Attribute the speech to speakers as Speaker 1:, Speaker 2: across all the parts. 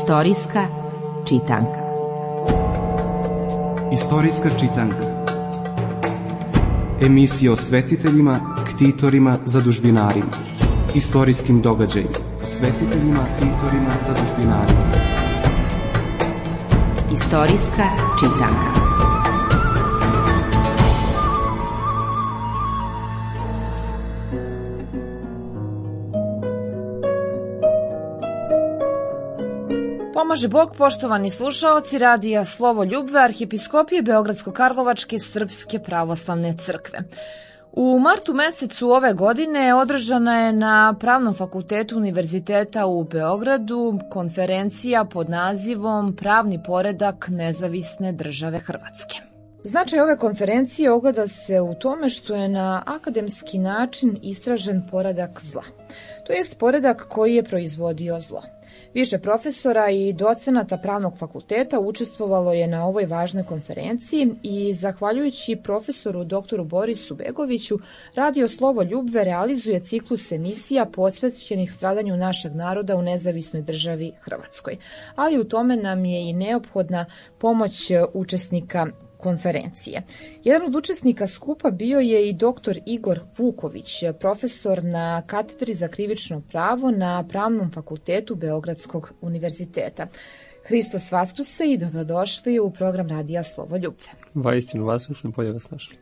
Speaker 1: Istorijska čitanka.
Speaker 2: Istorijska čitanka. Emisija o svetiteljima, ktitorima, zadužbinarima. Istorijskim događajima. O svetiteljima, ktitorima, zadužbinarima.
Speaker 1: Istorijska čitanka.
Speaker 3: Pomaže Bog, poštovani slušaoci radija Slovo Ljubve Arhijepiskopije Beogradsko-Karlovačke Srpske pravoslavne crkve. U martu mesecu ove godine održana je na Pravnom fakultetu Univerziteta u Beogradu konferencija pod nazivom Pravni poredak nezavisne države Hrvatske. Značaj ove konferencije ogleda se u tome što je na akademski način istražen poredak zla, to jest poredak koji je proizvodio zlo. Više profesora i docenata Pravnog fakulteta učestvovalo je na ovoj važnoj konferenciji i zahvaljujući profesoru doktoru Borisu Begoviću, Radio Slovo Ljubve realizuje ciklus emisija posvećenih stradanju našeg naroda u nezavisnoj državi Hrvatskoj. Ali u tome nam je i neophodna pomoć učesnika konferencije. Jedan od učesnika skupa bio je i dr. Igor Vuković, profesor na katedri za krivično pravo na Pravnom fakultetu Beogradskog univerziteta. Hristos vaskrse i dobrodošli u program Radija Slovo Ljubve.
Speaker 4: Vaistinu vaskrse, bolje vas našli.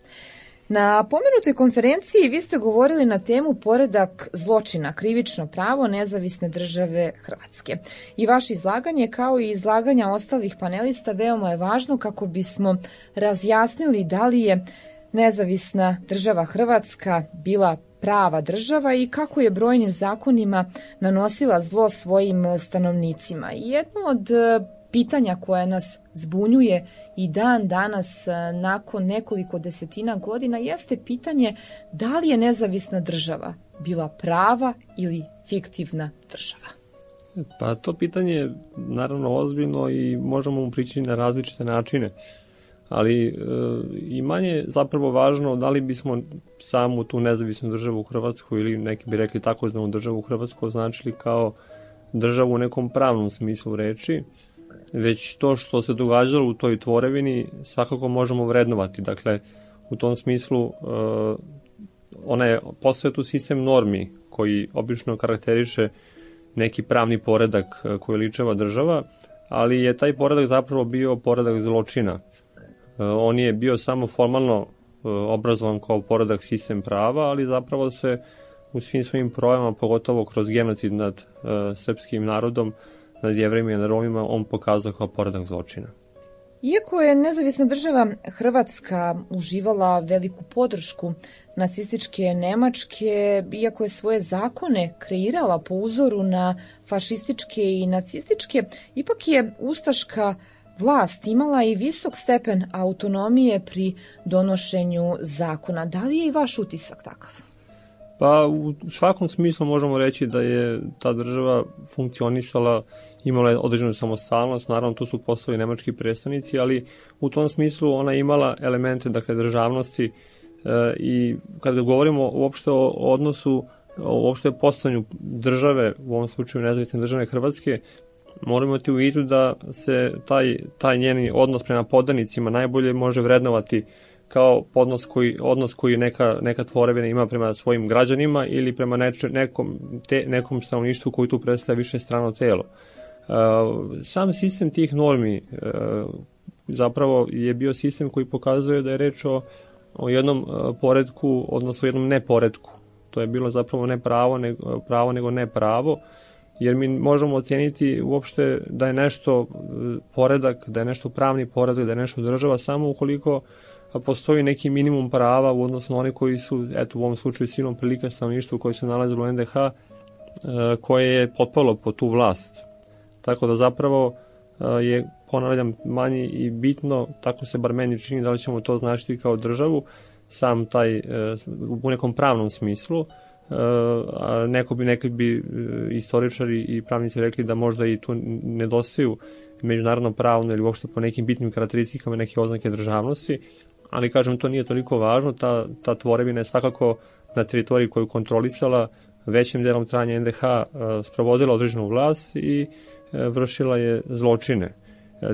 Speaker 3: Na pomenutoj konferenciji vi ste govorili na temu poredak zločina, krivično pravo nezavisne države Hrvatske. I vaše izlaganje, kao i izlaganja ostalih panelista, veoma je važno kako bismo razjasnili da li je nezavisna država Hrvatska bila prava država i kako je brojnim zakonima nanosila zlo svojim stanovnicima. I jedno od pitanja koje nas zbunjuje i dan danas nakon nekoliko desetina godina jeste pitanje da li je nezavisna država bila prava ili fiktivna država.
Speaker 4: Pa to pitanje je naravno ozbiljno i možemo mu prići na različite načine, ali i manje zapravo važno da li bismo samu tu nezavisnu državu u Hrvatsku ili neki bi rekli takozvanu državu u Hrvatsku označili kao državu u nekom pravnom smislu reči, već to što se događalo u toj tvorevini svakako možemo vrednovati. Dakle, u tom smislu ona je posvetu sistem normi koji obično karakteriše neki pravni poredak koji ličeva država, ali je taj poredak zapravo bio poredak zločina. On je bio samo formalno obrazovan kao poredak sistem prava, ali zapravo se u svim svojim projavama, pogotovo kroz genocid nad srpskim narodom, nad Jevrejima i nad Romima, on pokazao kao poredak zločina.
Speaker 3: Iako je nezavisna država Hrvatska uživala veliku podršku nacističke Nemačke, iako je svoje zakone kreirala po uzoru na fašističke i nacističke, ipak je ustaška vlast imala i visok stepen autonomije pri donošenju zakona. Da li je i vaš utisak takav?
Speaker 4: Pa u svakom smislu možemo reći da je ta država funkcionisala, imala je određenu samostalnost, naravno tu su postali nemački predstavnici, ali u tom smislu ona imala elemente, dakle, državnosti i kada govorimo uopšte o odnosu, uopšte o postavljanju države, u ovom slučaju nezavisne države Hrvatske, moramo imati u vidu da se taj njeni odnos prema podanicima najbolje može vrednovati kao odnos koji neka tvorevina ima prema svojim građanima ili prema nekom stanovništvu koji tu predstavlja više strano telo. Sam sistem tih normi zapravo je bio sistem koji pokazuje da je reč o jednom poretku, odnosno jednom neporetku. To je bilo zapravo ne pravo nego ne pravo, jer mi možemo oceniti uopšte da je nešto poredak, da je nešto pravni poredak, da je nešto država samo ukoliko postoji neki minimum prava u odnosu na one koji su, eto u ovom slučaju silom prilika stanovništvu koji se nalazilo u NDH, koje je potpalo po tu vlast. Tako da zapravo je, ponavljam, manje i bitno, tako se bar meni čini, da li ćemo to značiti kao državu, sam taj u nekom pravnom smislu. Neki bi istoričari i pravnici rekli da možda i tu nedostaju međunarodno pravno ili uopšte po nekim bitnim karakteristikama neke oznake državnosti, ali kažem, to nije toliko važno. Ta tvorevina je svakako na teritoriji koju kontrolisala većim delom trajanja NDH sprovodila određenu vlast i vršila je zločine.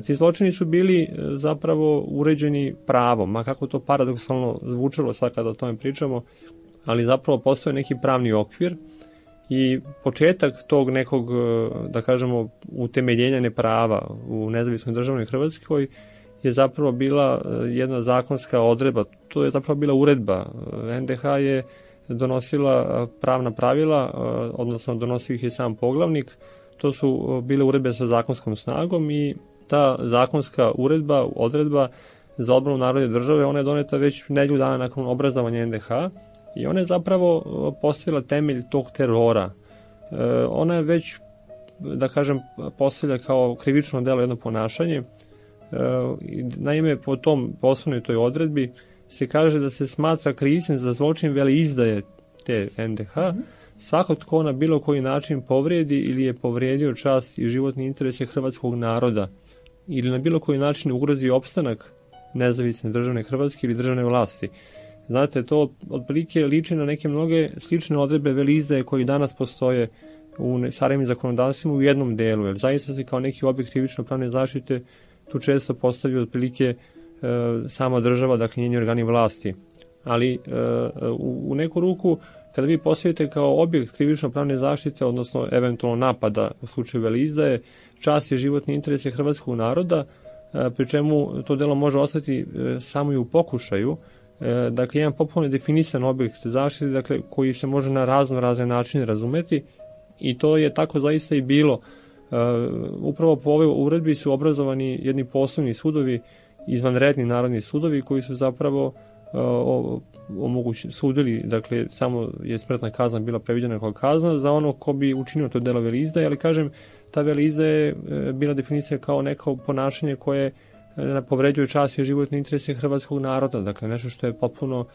Speaker 4: Ti zločini su bili zapravo uređeni pravom, ma kako to paradoksalno zvučalo sad kada o tome pričamo, ali zapravo postoje neki pravni okvir i početak tog nekog, da kažemo, utemeljenja neprava u nezavisnoj državnoj Hrvatskoj je zapravo bila jedna zakonska odredba, to je zapravo bila uredba. NDH je donosila pravna pravila, odnosno donosio ih je sam poglavnik, to su bile uredbe sa zakonskom snagom i ta zakonska odredba za odbranu narodne države, ona je doneta već nedelju dana nakon obrazovanja NDH i ona je zapravo postavila temelj tog terora. Ona je već, da kažem, postavlja kao krivično delo jedno ponašanje. Naime, po osnovnoj toj odredbi se kaže da se smatra krivcem za zločin veleizdaje te NDH svako tko na bilo koji način povrijedi ili je povrijedio čast i životni interes hrvatskog naroda ili na bilo koji način ugrozi opstanak nezavisne državne Hrvatske ili državne vlasti. Znate, to otprilike liči na neke mnoge slične odredbe veleizdaje koji danas postoje u savremenim zakonodavstvima u jednom delu, jer zaista se kao neki objekt krivično pravne zaštite tu često postavljaju otprilike sama država, dakle njeni organi vlasti. Ali u neku ruku, kada vi postavite kao objekt krivično pravne zaštite, odnosno eventualno napada u slučaju veleizdaje, čast i životni interes hrvatskog naroda, pri čemu to delo može ostati samo i u pokušaju, dakle jedan potpuno definisan objekt zaštite, dakle koji se može na razne načine razumeti i to je tako zaista i bilo. Upravo po ovoj uredbi su obrazovani jedni posebni sudovi, izvanredni narodni sudovi koji su zapravo sudili, dakle samo je smrtna kazna bila previđena kao kazna za ono ko bi učinio to delo veleizdaje, ali kažem, ta veleizdaja je bila definicija kao neko ponašanje koje povređuje čast i životne interese hrvatskog naroda, dakle nešto što je potpuno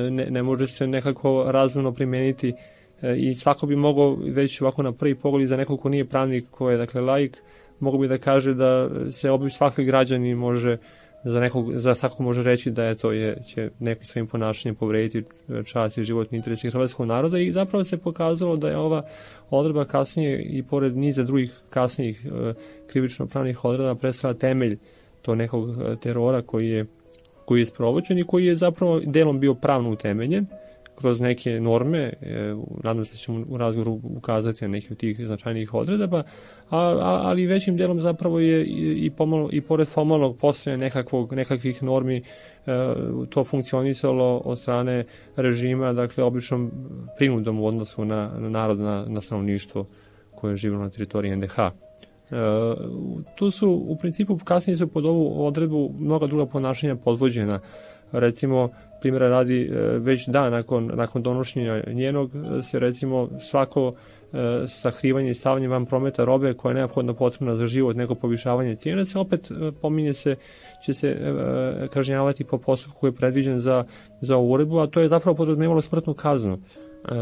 Speaker 4: ne može se nekako razumno primeniti i svako bi mogao već ovako na prvi pogled za nekog ko nije pravnik, ko je dakle laik, mogu bi da kaže da se svaki građanin može za svakog može reći da će nekim svojim ponašanjem povrediti čast i životni interes hrvatskog naroda i zapravo se pokazalo da je ova odredba kasnije i pored niza drugih kasnijih krivično-pravnih odredba predstavlja temelj to nekog terora koji je sprovođen i koji je zapravo delom bio pravno utemeljen kroz neke norme, nadam se da ćemo u razgovoru ukazati na neke od tih značajnijih odredaba, ali većim delom zapravo je i pored formalnog postojanja nekakvih normi to funkcionisalo od strane režima, dakle običnom prinudom u odnosu na narod, na stanovništvo koje je živjelo na teritoriji NDH. Tu su u principu kasnije su pod ovu odredbu mnoga druga ponašanja podvođena. Recimo, primjera radi, već dan nakon donošenja njenog se recimo svako sakrivanje i stavljanje van prometa robe koja je neophodno potrebna za život, neko povišavanje cijene se opet će se kažnjavati po postupku koji je predviđen za ovu uredbu, a to je zapravo podrazumijevalo smrtnu kaznu.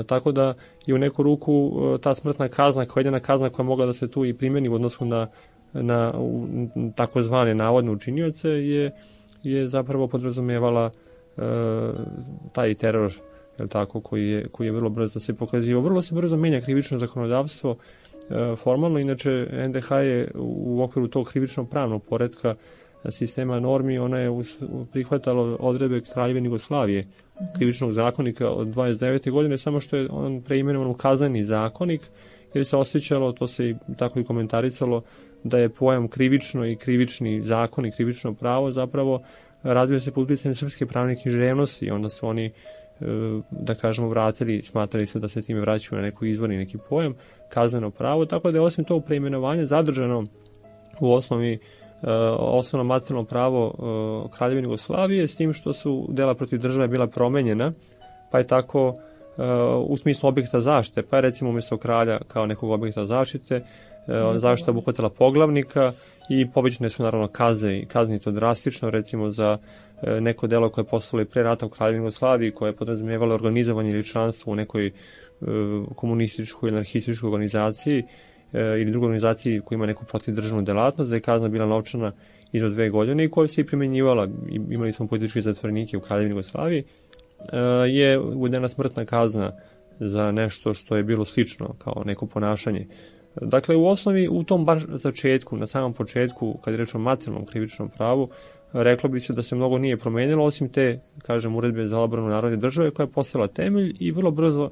Speaker 4: Tako da je u neku ruku ta smrtna kazna kao jedina kazna koja mogla da se tu i primjeni u odnosu na takozvane navodne učinioce je zapravo podrazumevala taj teror, je tako, koji je vrlo brzo se pokazivao. Vrlo se brzo menja krivično zakonodavstvo formalno, inače NDH je u okviru tog krivično pravnog poretka sistema normi, ona je prihvatala odredbe Kraljevine Jugoslavije, krivičnog zakonika od 29. godine, samo što je on preimenovan u kazneni zakonik, jer se osjećalo, to se i tako i komentarisalo, da je pojam krivično i krivični zakon i krivično pravo zapravo razvio se pod utjecajem srpske pravne književnosti i onda su oni, da kažemo, vratili, smatrali su da se time vraćaju na neki izvorni neki pojam, kazneno pravo, tako da je osim tog preimenovanja zadržano u osnovno materijalno pravo Kraljevine Jugoslavije, s tim što su dela protiv države bila promenjena, pa je tako u smislu objekta zaštite, pa je recimo umjesto kralja kao nekog objekta zaštite, zaštita obuhvatila poglavnika i povećane su naravno kazne i to drastično, recimo za neko delo koje je postalo i pre rata u Kraljevini Jugoslaviji, koje je podrazumijevalo organizovanje ili članstvo u nekoj komunističkoj ili anarhističkoj organizaciji ili drugoj organizaciji koja ima neku protidržavnu delatnost, da je kazna bila novčana i do 2 godine i koja se i primjenjivala. Imali smo političke zatvorenike u Kraljevini Jugoslaviji, je uvedena smrtna kazna za nešto što je bilo slično kao neko ponašanje. Dakle, u osnovi, u tom baš začetku, na samom početku, kad je reč o materijalnom krivičnom pravu, reklo bi se da se mnogo nije promenilo, osim te, kažem, uredbe za odbranu narodne države koja je postala temelj i vrlo brzo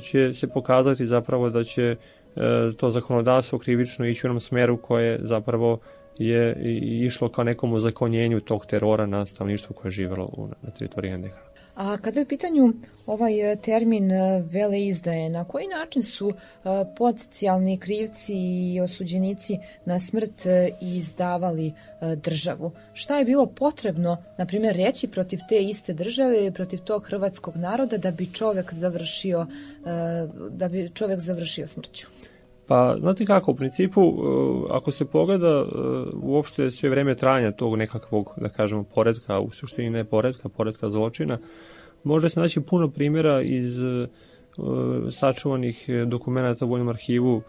Speaker 4: će se pokazati zapravo da će to zakonodavstvo krivično ići u onom smeru koje zapravo je išlo kao nekom ozakonjenju tog terora na stanovništvu koje je živelo na teritoriji NDH.
Speaker 3: A kada je u pitanju ovaj termin veleizdaje, na koji način su potencijalni krivci i osuđenici na smrt izdavali državu? Šta je bilo potrebno, na primjer, reći protiv te iste države i protiv tog hrvatskog naroda da bi čovjek završio smrću?
Speaker 4: Pa, znate kako, u principu, ako se pogleda uopšte sve vreme trajanja tog nekakvog, da kažemo, poretka, u suštini ne poretka zločina, može se naći puno primjera iz sačuvanih dokumenta u Vojnom arhivu,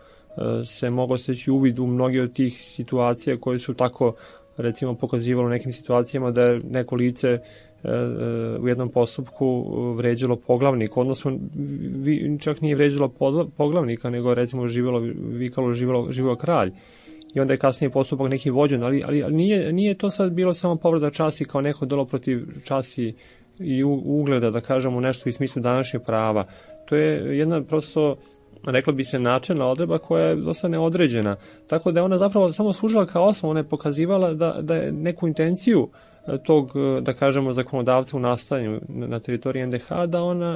Speaker 4: se moglo steći uvid u mnoge od tih situacija koje su tako, recimo, pokazivalo u nekim situacijama da je neko lice u jednom postupku vređalo poglavnika, odnosno čak nije vređalo poglavnika, nego recimo živelo kralj. I onda je kasnije postupak neki vođen, ali nije to sad bilo samo povreda časti kao neko delo protiv časti i ugleda, da kažemo nešto u smislu današnjeg prava. To je jedna prosto, rekla bi se, načelna odredba koja je dosta neodređena. Tako da je ona zapravo samo služila kao osnov, ona je pokazivala da je neku intenciju tog, da kažemo, zakonodavca u nastajanju na teritoriji NDH,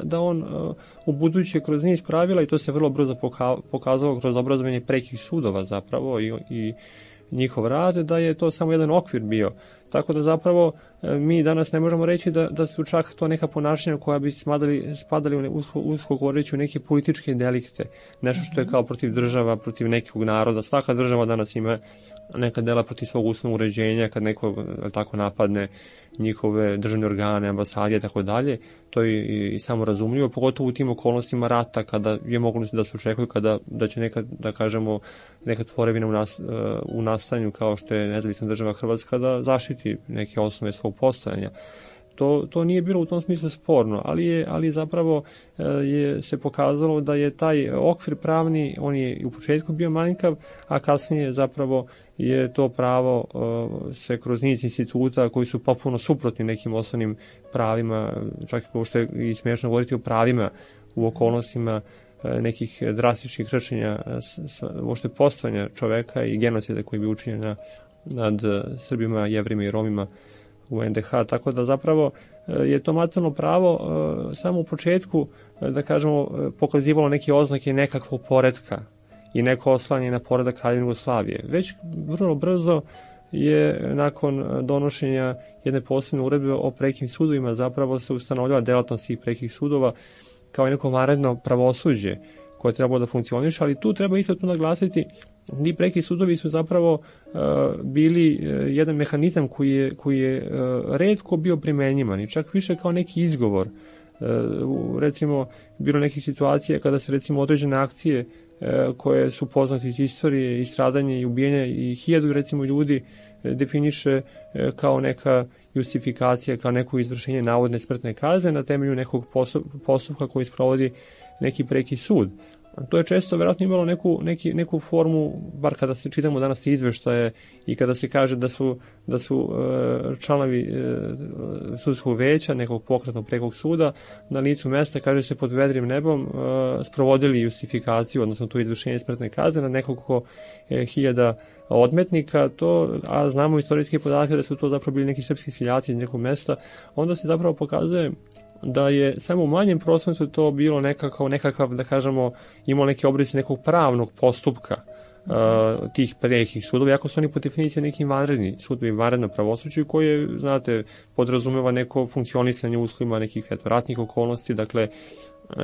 Speaker 4: da on u buduće kroz niz pravila, i to se vrlo brzo pokazalo kroz obrazovanje prekih sudova zapravo i njihov rad, da je to samo jedan okvir bio. Tako da zapravo mi danas ne možemo reći da su čak to neka ponašanja koja bi spadali usko govoreći u neke političke delikte. Nešto što je kao protiv država, protiv nekog naroda. Svaka država danas ima neka dela protiv svog ustavnog uređenja, kad neko tako napadne njihove državne organe, ambasade i tako dalje. To je i samo razumljivo, pogotovo u tim okolnostima rata, kada je moglo da se očekuju da će neka, da kažemo, neka tvorevina u nastanju kao što je nezavisna država Hrvatska da zaštiti neke osnove svog postojanja. To nije bilo u tom smislu sporno, ali zapravo se pokazalo da je taj okvir pravni, on je u početku bio manjkav, a kasnije zapravo je to pravo se kroz niz instituta koji su potpuno suprotni nekim osnovnim pravima, čak i što je i smiješno govoriti o pravima u okolnostima nekih drastičnih kršenja uopšte postojanja čoveka i genocida koji bi učinjen nad Srbima, Jevrima i Romima u NDH, tako da zapravo je to materijalno pravo samo u početku, da kažemo, pokazivalo neke oznake nekakvog poretka i neko oslanje na poredak Kraljevine Jugoslavije. Već vrlo brzo je nakon donošenja jedne posebne uredbe o prekim sudovima zapravo se ustanovljava delatnost tih prekih sudova kao neko vanredno pravosuđe koje trebalo da funkcioniše, ali tu treba isto naglasiti, ti preki sudovi su zapravo bili jedan mehanizam koji je retko bio primenjivan i čak više kao neki izgovor. Recimo, bilo nekih situacija kada se recimo određene akcije koje su poznate iz istorije i stradanje i ubijanja i 1000 recimo ljudi definiše kao neka justifikacija, kao neko izvršenje navodne smrtne kazne na temelju nekog postupka koji sprovodi neki preki sud. To je često verovatno imalo neku formu, bar kada se čitamo danas te izveštaje i kada se kaže da su članovi sudskog veća nekog pokretnog prekog suda na licu mesta, kaže se, pod vedrim nebom sprovodili justifikaciju, odnosno to izvršenje smrtne kazne na nekoliko hiljada odmetnika, a znamo istorijske podatke da su to zapravo bili neki srpski seljaci iz nekog mesta, onda se zapravo pokazuje da je samo u manjem procentu to bilo nekakav, da kažemo, imao neke obrisi nekog pravnog postupka tih prekih sudova, iako su oni po definiciji neki vanredni sudovi, vanredno pravosuđe koje, znate, podrazumeva neko funkcionisanje uslovima nekih ratnih okolnosti, dakle,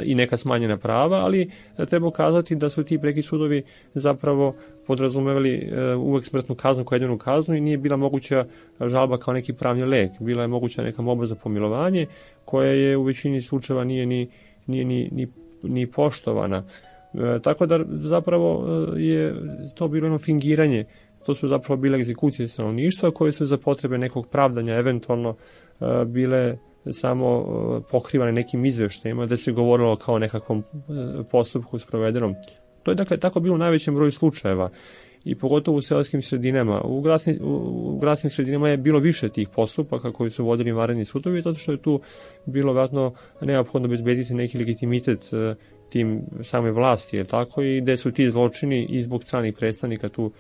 Speaker 4: i neka smanjena prava, ali treba ukazati da su ti preki sudovi zapravo podrazumevali uvek smrtnu kaznu kao jedinu kaznu i nije bila moguća žalba kao neki pravni lek. Bila je moguća neka molba za pomilovanje koja je u većini slučajeva nije ni poštovana. Tako da zapravo je to bilo jedno fingiranje. To su zapravo bile egzekucije stanovništva koje su za potrebe nekog pravdanja eventualno bile samo pokrivane nekim izveštajima, da se govorilo kao nekakvom postupku sprovedenom. To je dakle tako bilo u najvećem broju slučajeva i pogotovo u seoskim sredinama. U gradskim sredinama je bilo više tih postupaka koji su vodili vanredni sudovi, zato što je tu bilo vjerojatno neophodno obezbediti neki legitimitet tim same vlasti, je tako, i gde su ti zločini i zbog stranih predstavnika tu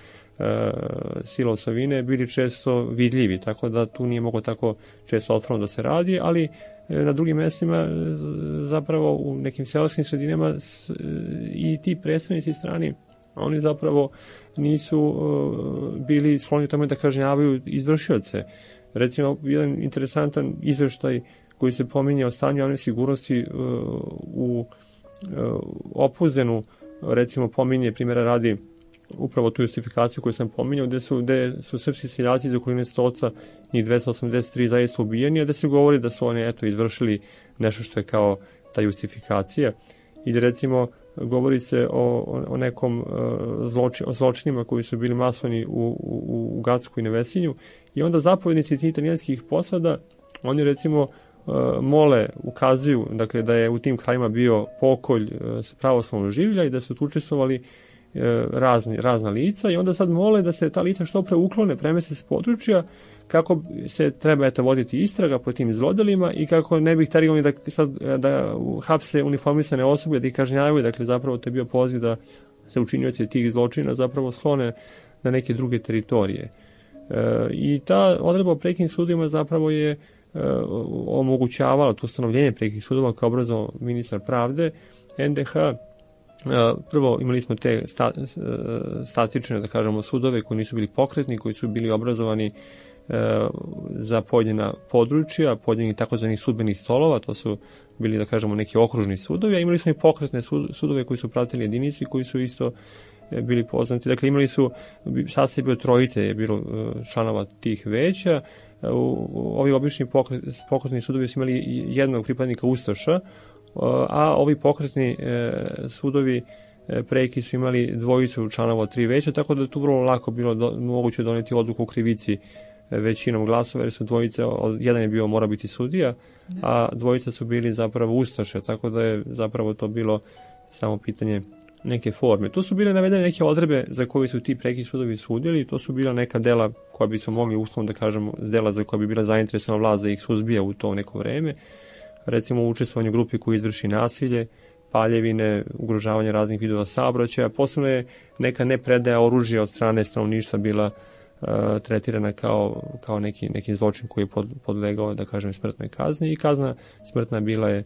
Speaker 4: sila osovine bili često vidljivi, tako da tu nije moglo tako često otvoreno da se radi, ali na drugim mestima, zapravo u nekim seoskim sredinama i ti predstavnici strani, oni zapravo nisu bili skloni tome da kažnjavaju izvršioce. Recimo, jedan interesantan izveštaj koji se pominje o stanju javne sigurnosti u Opuzenu, recimo pominje primjera radi upravo tu justifikaciju koju sam pominjao, gde su srpski seljaci iz okoline Stoca, njih 283 zaista ubijeni, a da se govori da su oni izvršili nešto što je kao ta justifikacija. Ili recimo govori se o nekom zločinima koji su bili masovni u Gacku i Nevesinju, i onda zapovjednici tih italijanskih posada, oni recimo mole, ukazuju, dakle, da je u tim krajima bio pokolj pravoslavnog življa i da su tu učestvovali razna lica, i onda sad mole da se ta lica što pre uklone, premeste s područja, kako se treba voditi istraga po tim zlodelima i kako ne bi htjeli da hapse uniformisane osobe, da ih kažnjavaju. Dakle, zapravo to je bio poziv da se učinioci tih zločina zapravo slone na neke druge teritorije. I ta odredba o prekim sudovima zapravo je omogućavala to ustanovljenje prekih sudova kao obrazovao ministar pravde NDH. Prvo imali smo te statične, da kažemo, sudove koji nisu bili pokretni, koji su bili obrazovani za pojedina područja, pojedinih takozvanih sudbenih stolova, to su bili, da kažemo, neki okružni sudovi, a imali smo i pokretne sudove koji su pratili jedinici, koji su isto bili poznati. Dakle, imali su, sastav bio trojice, je bilo članova tih veća. Ovi obični pokretni sudovi su imali jednog pripadnika ustaša, a ovi pokretni sudovi preki su imali dvojicu članova od 3 veća, tako da je tu vrlo lako bilo moguće doneti odluku u krivici većinom glasova, jer su dvojice, jedan je bio mora biti sudija, a dvojica su bili zapravo ustaše, tako da je zapravo to bilo samo pitanje neke forme. Tu su bile navedene neke odredbe za koje su ti preki sudovi sudili, to su bila neka dela koja bi se mogli uslovno da kažemo dela za koja bi bila zainteresovana vlast da ih suzbija u to neko vreme. Recimo u učestvovanju grupi koji izvrši nasilje, paljevine, ugrožavanje raznih vidova saobraćaja. Posebno je neka nepredaja oružja od strane stanovništva bila tretirana kao neki zločin koji je podlegao, da kažem, smrtnoj kazni, i kazna smrtna bila je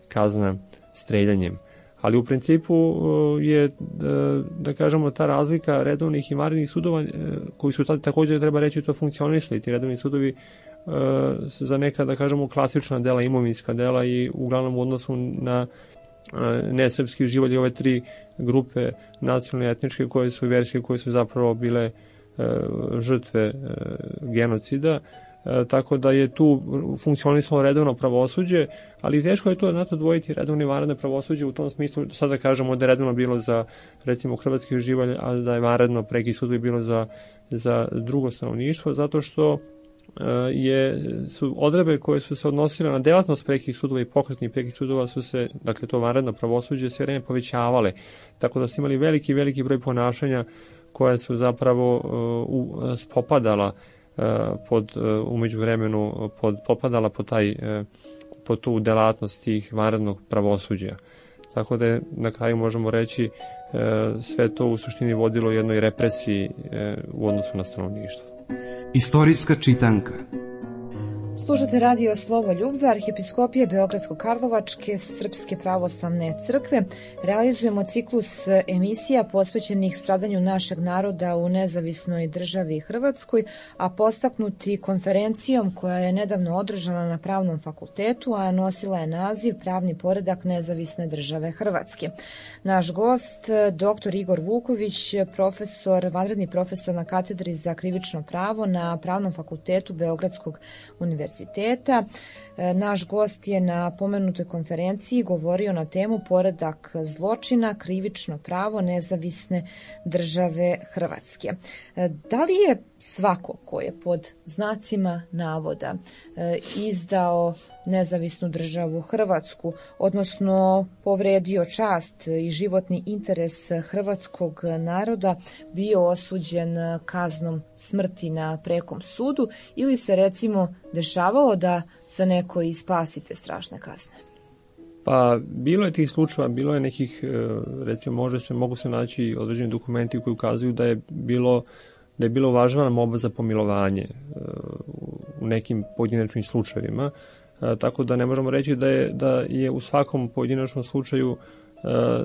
Speaker 4: kazna streljanjem. Ali u principu je, da kažemo, ta razlika redovnih i vanrednih sudova koji su također, treba reći, to funkcionisali. Ti redovni sudovi za neka, da kažemo, klasična dela, imovinska dela, i uglavnom u odnosu na nesrpski živalj, ove 3 grupe nacionalne, etničke, koje su verske, koje su zapravo bile žrtve genocida, tako da je tu funkcionisalo redovno pravosuđe, ali teško je to dvojiti redovno i vanredno pravosuđe u tom smislu, sada kažemo da je redovno bilo za, recimo, hrvatski živalj, a da je vanredno preki sudovi bilo za drugo stanovništvo, zato što su odredbe koje su se odnosile na delatnost prekih sudova i pokretnih prekih sudova su se, dakle to vanredno pravosuđe, sve vreme povećavale, tako da su imali veliki broj ponašanja koja su zapravo spopadala umeđu vremenu potpadala pod tu delatnost tih vanrednog pravosuđa. Tako da na kraju možemo reći sve to u suštini vodilo jednoj represiji u odnosu na stanovništvo.
Speaker 2: Istorijska čitanka.
Speaker 3: Slušate radio Slovo Ljubve, Arhijepiskopije Beogradsko-Karlovačke Srpske pravoslavne crkve. Realizujemo ciklus emisija posvećenih stradanju našeg naroda u nezavisnoj državi Hrvatskoj, a postaknuti konferencijom koja je nedavno održana na Pravnom fakultetu, a nosila je naziv Pravni poredak nezavisne države Hrvatske. Naš gost, dr. Igor Vuković, vanredni profesor na katedri za krivično pravo na Pravnom fakultetu Beogradskog univerziteta. Naš gost je na pomenutoj konferenciji govorio na temu poredak zločina, krivično pravo nezavisne države Hrvatske. Da li je svako ko je pod znacima navoda izdao nezavisnu državu Hrvatsku, odnosno povredio čast i životni interes hrvatskog naroda, bio osuđen kaznom smrti na prekom sudu ili se recimo dešavalo da se neko i spasi te strašne kazne?
Speaker 4: Pa bilo je tih slučajeva, bilo je nekih, recimo mogu se naći određeni dokumenti koji ukazuju da je bilo uvažavana molba za pomilovanje u nekim pojedinačnim slučajevima, tako da ne možemo reći da je u svakom pojedinačnom slučaju,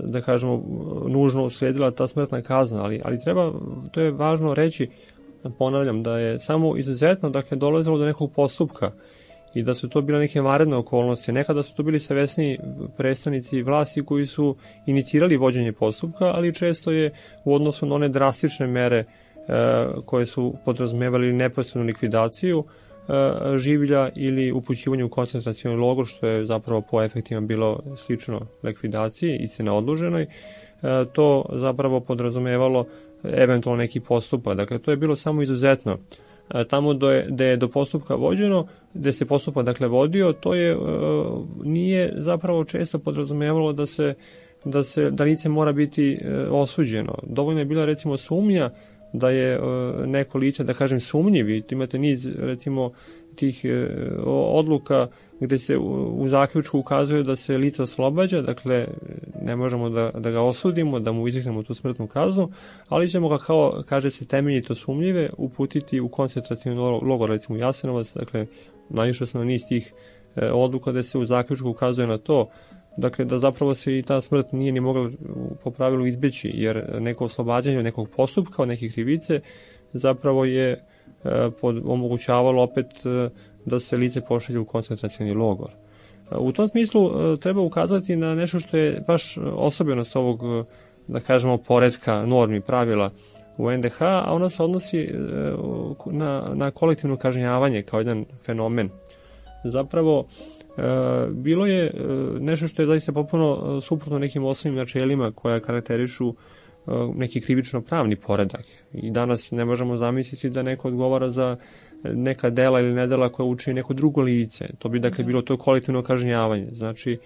Speaker 4: da kažemo, nužno uslijedila ta smrtna kazna, ali to je važno reći, ponavljam, da je samo izuzetno, dakle, dolazilo do nekog postupka i da su to bile neke vanredne okolnosti. Nekada su to bili savesni predstavnici vlasti koji su inicirali vođenje postupka, ali često je u odnosu na one drastične mere koje su podrazumevali neposrednu likvidaciju življa ili upućivanje u koncentracioni logor, što je zapravo po efektima bilo slično likvidaciji, istina odloženoj, to zapravo podrazumevalo eventualno neki postupak. Dakle, to je bilo samo izuzetno. Tamo gde je do postupka vođeno, gde se postupak dakle vodio, to nije zapravo često podrazumevalo da lice mora biti osuđeno. Dovoljno je bila recimo sumnja da je neko lice, da kažem, sumnjivi. Imate niz recimo tih odluka gde se u zaključku ukazuje da se lice oslobađa, dakle ne možemo da ga osudimo, da mu izreknemo tu smrtnu kaznu, ali ćemo ga, kao kaže se, temeljito sumnjive uputiti u koncentracioni logor, recimo Jasenovac. Dakle, naišao sam na niz tih odluka gde se u zaključku ukazuje na to, dakle, da zapravo se i ta smrt nije ni mogla po pravilu izbeći, jer neko oslobađanje od nekog postupka, od neke krivice, zapravo je omogućavalo opet da se lice pošalje u koncentracioni logor. U tom smislu treba ukazati na nešto što je baš osobenost ovog, da kažemo, poretka normi, pravila u NDH, a ona se odnosi na kolektivno kažnjavanje kao jedan fenomen. Zapravo, bilo je nešto što je zaista potpuno suprotno nekim osnovnim načelima koja karakterišu neki krivično-pravni poredak. I danas ne možemo zamisliti da neko odgovara za neka dela ili nedela koja učini neko drugo lice. To bi dakle bilo to kolektivno kažnjavanje. Znači,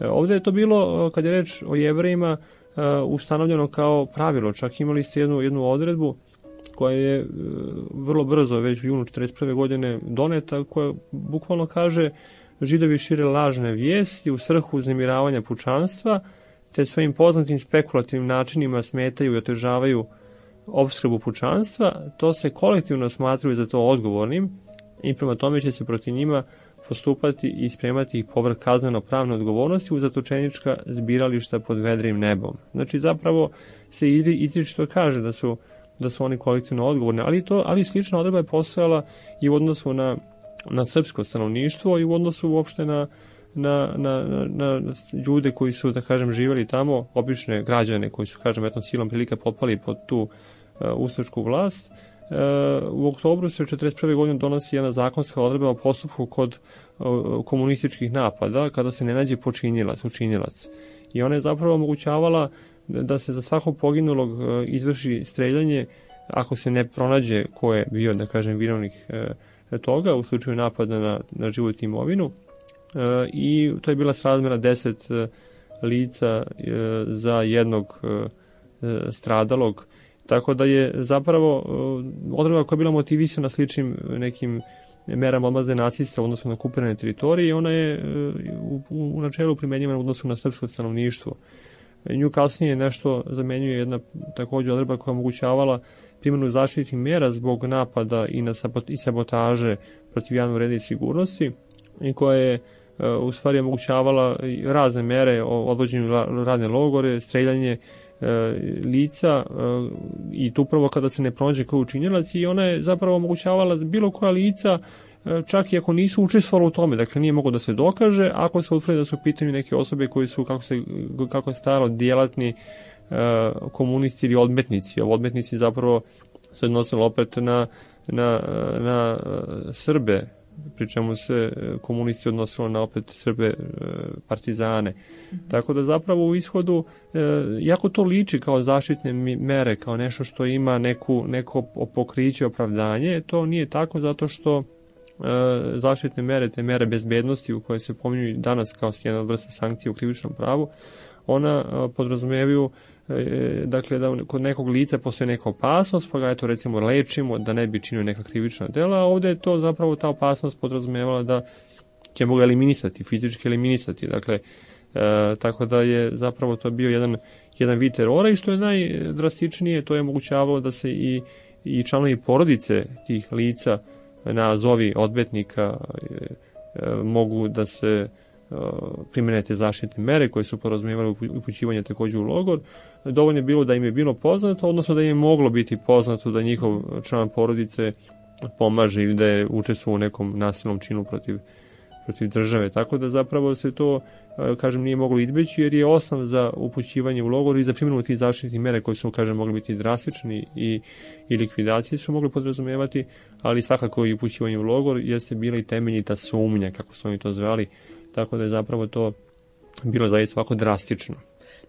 Speaker 4: ovde je to bilo, kad je reč o Jevrejima, ustanovljeno kao pravilo. Čak imali ste jednu odredbu koja je vrlo brzo, već u junu 1941. godine doneta, koja bukvalno kaže: Židovi šire lažne vijesti u svrhu uznemiravanja pučanstva, te svojim poznatim spekulativnim načinima smetaju i otežavaju opskrbu pučanstva, to se kolektivno smatraju za to odgovornim i prema tome će se protiv njima postupati i spremati ih povrh kazneno-pravne odgovornosti u zatočenička zbirališta pod vedrim nebom. Znači, zapravo se izričito kaže da su oni kolektivno odgovorni, ali slična odredba je postojala i u odnosu na srpsko stanovništvo i u odnosu uopšte na ljude koji su, da kažem, živjeli tamo, obične građane koji su, kažem, silom prilika potpali pod tu ustašku vlast. U oktobru se u 1941. godinu donosi jedna zakonska odredba o postupku kod komunističkih napada kada se ne nađe učinilac. I ona je zapravo omogućavala da se za svakog poginulog izvrši streljanje ako se ne pronađe ko je bio, da kažem, vinovnik toga u slučaju napada na život i imovinu. I to je bila srazmjera 10 lica za jednog stradalog, tako da je zapravo odredba koja je bila motivisana sličnim nekim merama odmazde nacista u odnosu na okupirane teritorije, i ona je u načelu primenjivana u odnosu na srpsko stanovništvo. Nju kasnije nešto zamenjuje jedna također odredba koja omogućavala primjenu zaštitnih mera zbog napada i sabotaže protiv javnog reda i sigurnosti, i koja je u stvari omogućavala razne mere o odvođenju radne logore, streljanje lica, i to upravo kada se ne pronađe ko je učinilac, i ona je zapravo omogućavala bilo koja lica, čak i ako nisu učestvovali u tome, dakle nije moglo da se dokaže, ako se utvrdi da su u pitanju neke osobe koji su, kako je stajalo, djelatni komunisti ili odmetnici. Odmetnici zapravo se odnosilo opet na Srbe, pri čemu se komunisti odnosilo na opet Srbe partizane. Tako da zapravo u ishodu, jako to liči kao zaštitne mere, kao nešto što ima neko pokriće, opravdanje, to nije tako, zato što zaštitne mere, te mere bezbednosti u koje se pominju danas kao jedna od vrsta sankcija u krivičnom pravu, ona podrazumevaju dakle da kod nekog lica postoji neka opasnost, pa ga eto recimo lečimo da ne bi činio neka krivična dela, a ovde je to zapravo ta opasnost podrazumevala da ćemo ga eliminisati, fizički eliminisati, dakle tako da je zapravo to bio jedan vid terora i što je najdrastičnije, to je omogućavalo da se i članovi porodice tih lica na zovi odvetnika mogu da se primene te zaštitne mere koje su podrazumevale upućivanje takođe u logor. Dovoljno je bilo da im je bilo poznato, odnosno da im je moglo biti poznato da njihov član porodice pomaže ili da je učestvovao u nekom nasilnom činu protiv države. Tako da zapravo se to, kažem, nije moglo izbeći jer je osnov za upućivanje u logor i za primjenu tih zaštitnih mere koje su, kažem, mogli biti drastični i likvidacije su mogli podrazumevati, ali svakako i upućivanje u logor jeste bila i temeljita sumnja, kako su oni to zvali, tako da je zapravo to bilo zaista ovako drastično.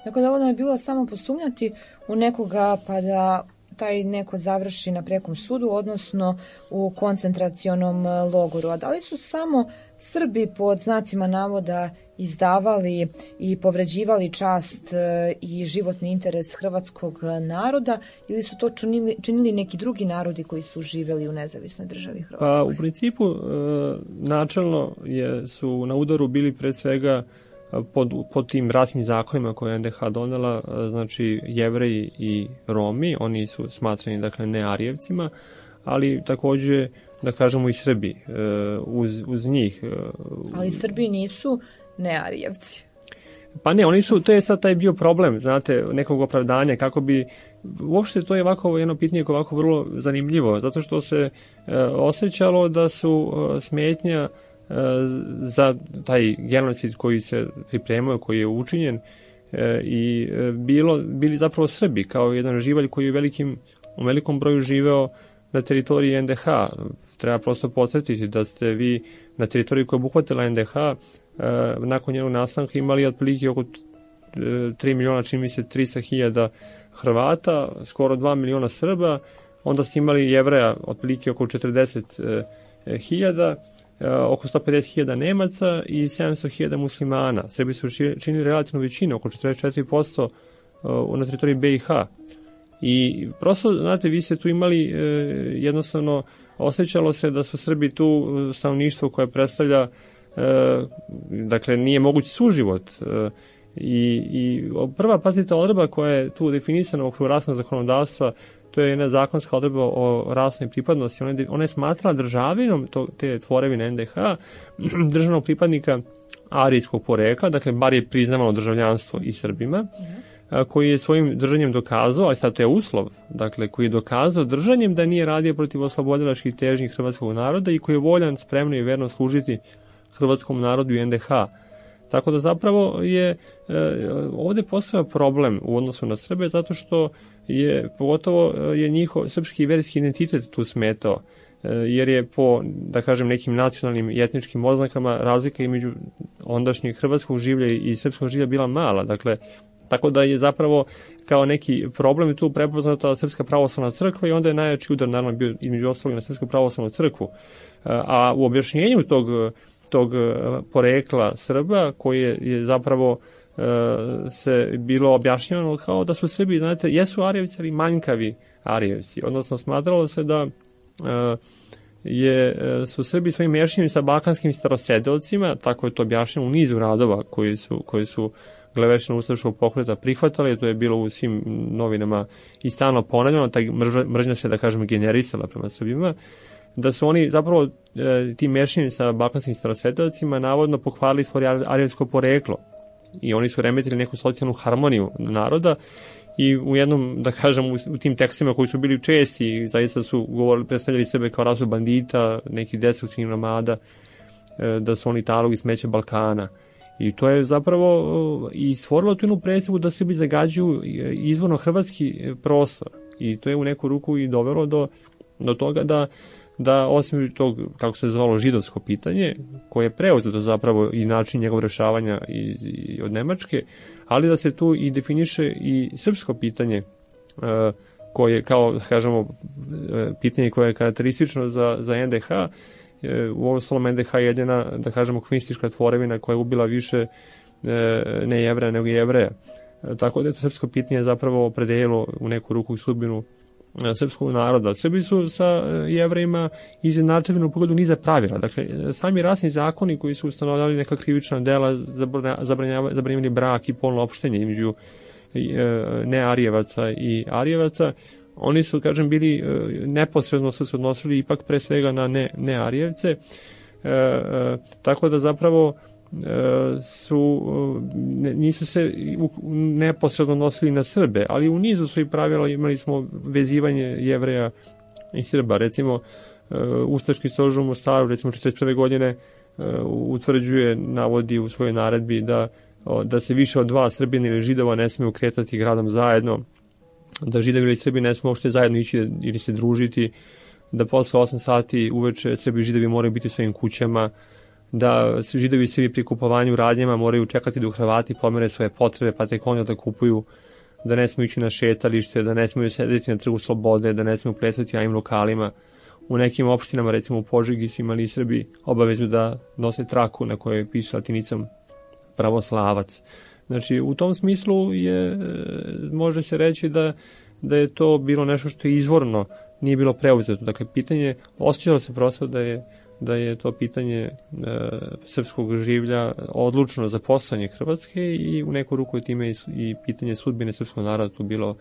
Speaker 3: Tako da ovo je bilo samo posumnjati u nekoga pa da taj neko završi na prekom sudu, odnosno u koncentracionom logoru. A da li su samo Srbi pod znacima navoda izdavali i povređivali čast i životni interes hrvatskog naroda ili su to činili neki drugi narodi koji su živeli u nezavisnoj državi Hrvatskoj?
Speaker 4: Pa u principu načelno su na udaru bili pre svega pod tim rasnim zakonima koje je NDH donela, znači Jevreji i Romi, oni su smatrani dakle ne Arijevcima, ali takođe da kažemo i Srbi uz njih.
Speaker 3: Ali Srbi nisu ne Arijevci.
Speaker 4: Pa ne, oni su, to je sad taj bio problem, znate, nekog opravdanja, kako bi, uopšte to je ovako jedno pitanje koje je ovako vrlo zanimljivo, zato što se osjećalo da su smetnja za taj genocid koji se pripremao, koji je učinjen i bili zapravo Srbi kao jedan živalj koji je u velikom broju živeo na teritoriji NDH. Treba prosto podsjetiti da ste vi na teritoriji koja je obuhvatila NDH nakon njenog nastanka imali otprilike oko 3 miliona, čini mi se 300.000 Hrvata, skoro 2 miliona Srba, onda ste imali Jevreja otprilike oko 40.000, oko 150.000 Nemaca i 700.000 muslimana. Srbi su činili relativnu većinu, oko 44% na teritoriji BiH. I prosto, znate, vi ste tu imali jednostavno, osjećalo se da su Srbi tu stanovništvo koje predstavlja, dakle, nije mogući suživot. I prva, pazite, odredba koja je tu definisana u okviru rasnog zakonodavstva, to je jedna zakonska odredba o rasnoj pripadnosti. Ona je smatrala državinom te tvorevine NDH, državnog pripadnika arijskog porekla, dakle, bar je priznavano državljanstvo i Srbima, koji je svojim držanjem dokazao, ali sad to je uslov, dakle, koji je dokazao držanjem da nije radio protiv oslobodilačkih težnji hrvatskog naroda i koji je voljan, spremno i verno služiti hrvatskom narodu i NDH. Tako da zapravo je ovde postoja problem u odnosu na Srbe zato što pogotovo je njihov srpski i verski identitet tu smetao, jer je po, da kažem, nekim nacionalnim i etničkim oznakama razlika između ondašnjeg hrvatskog življa i srpskog življa bila mala. Dakle, tako da je zapravo kao neki problem tu prepoznata Srpska pravoslavna crkva i onda je najjači udar naravno bio između ostalog na Srpsku pravoslavnu crkvu. A u objašnjenju tog porekla Srba koji je zapravo se bilo objašnjeno kao da su Srbi, znate, jesu Arijevci, ali manjkavi Arijevci. Odnosno, smatralo se da su Srbi svojim mešanjem sa balkanskim starosredovcima, tako je to objašnjeno u nizu radova koji su glevečna ustaškog pokreta prihvatali, to je bilo u svim novinama i stalno ponavljeno, ta mržnja se, da kažem, generisala prema Srbima, da su oni zapravo tim mešanjem sa balkanskim starosvedovcima navodno pohvalili svoje arijevsko poreklo i oni su remetili neku socijalnu harmoniju naroda i u jednom, da kažem, u tim tekstima koji su bili česti, zaista su predstavljali sebe kao rasu bandita, nekih destruktivnih nomada, da su oni talog i smeće Balkana. I to je zapravo i stvorilo tu jednu predstavu da Srbi zagađuju izvorno hrvatski prostor. I to je u neku ruku i dovelo do toga da osim tog, kako se zvalo, židovsko pitanje, koje je preuzeto zapravo i način njegov rešavanja od Nemačke, ali da se tu i definiše i srpsko pitanje, koje, kao kažemo, pitanje koje je karakteristično za NDH, uostalom NDH je jedina, da kažemo, komunistička tvorevina koja je ubila više ne Jevreja nego Jevreja. Tako da je to srpsko pitanje zapravo opredelilo u neku ruku sudbinu srpskog naroda. Srbi su sa Jevrejima izjednačeni u pogledu niza pravila. Dakle, sami rasni zakoni koji su ustanovljavali neka krivična dela, zabranjivali brak i polno opštenje između nearijevaca i arijevaca, oni su, kažem, bili neposredno su se odnosili ipak pre svega na nearijevce, tako da zapravo nisu se neposredno nosili na Srbe, ali u nizu svojih pravila imali smo vezivanje Jevreja i Srba. Recimo, Ustaški stožer u Mostaru, recimo 1941. godine utvrđuje, navodi u svojoj naredbi da se više od 2 Srbina ili Židova ne smiju kretati gradom zajedno, da Židovi ili Srbi ne smiju uopšte zajedno ići ili se družiti, da posle 8 sati uveče Srbi i Židovi moraju biti u svojim kućama, da Židovi i Srbi pri kupovanju radnjama moraju čekati dok Hrvati pomere svoje potrebe pa tek onda da kupuju, da ne smiju ići na šetalište, da ne smiju sedeti na Trgu Slobode, da ne smiju plesati u javnim lokalima. U nekim opštinama, recimo u Požegi, su imali Srbi obavezu da nose traku na kojoj piše latinicom pravoslavac. Znači, u tom smislu može se reći da je to bilo nešto što je izvorno, nije bilo preuzeto. Dakle, pitanje, osjećalo se prosto da je to pitanje srpskog življa odlučno za postojanje Hrvatske i u neku ruku je time i pitanje sudbine srpskog naroda tu bilo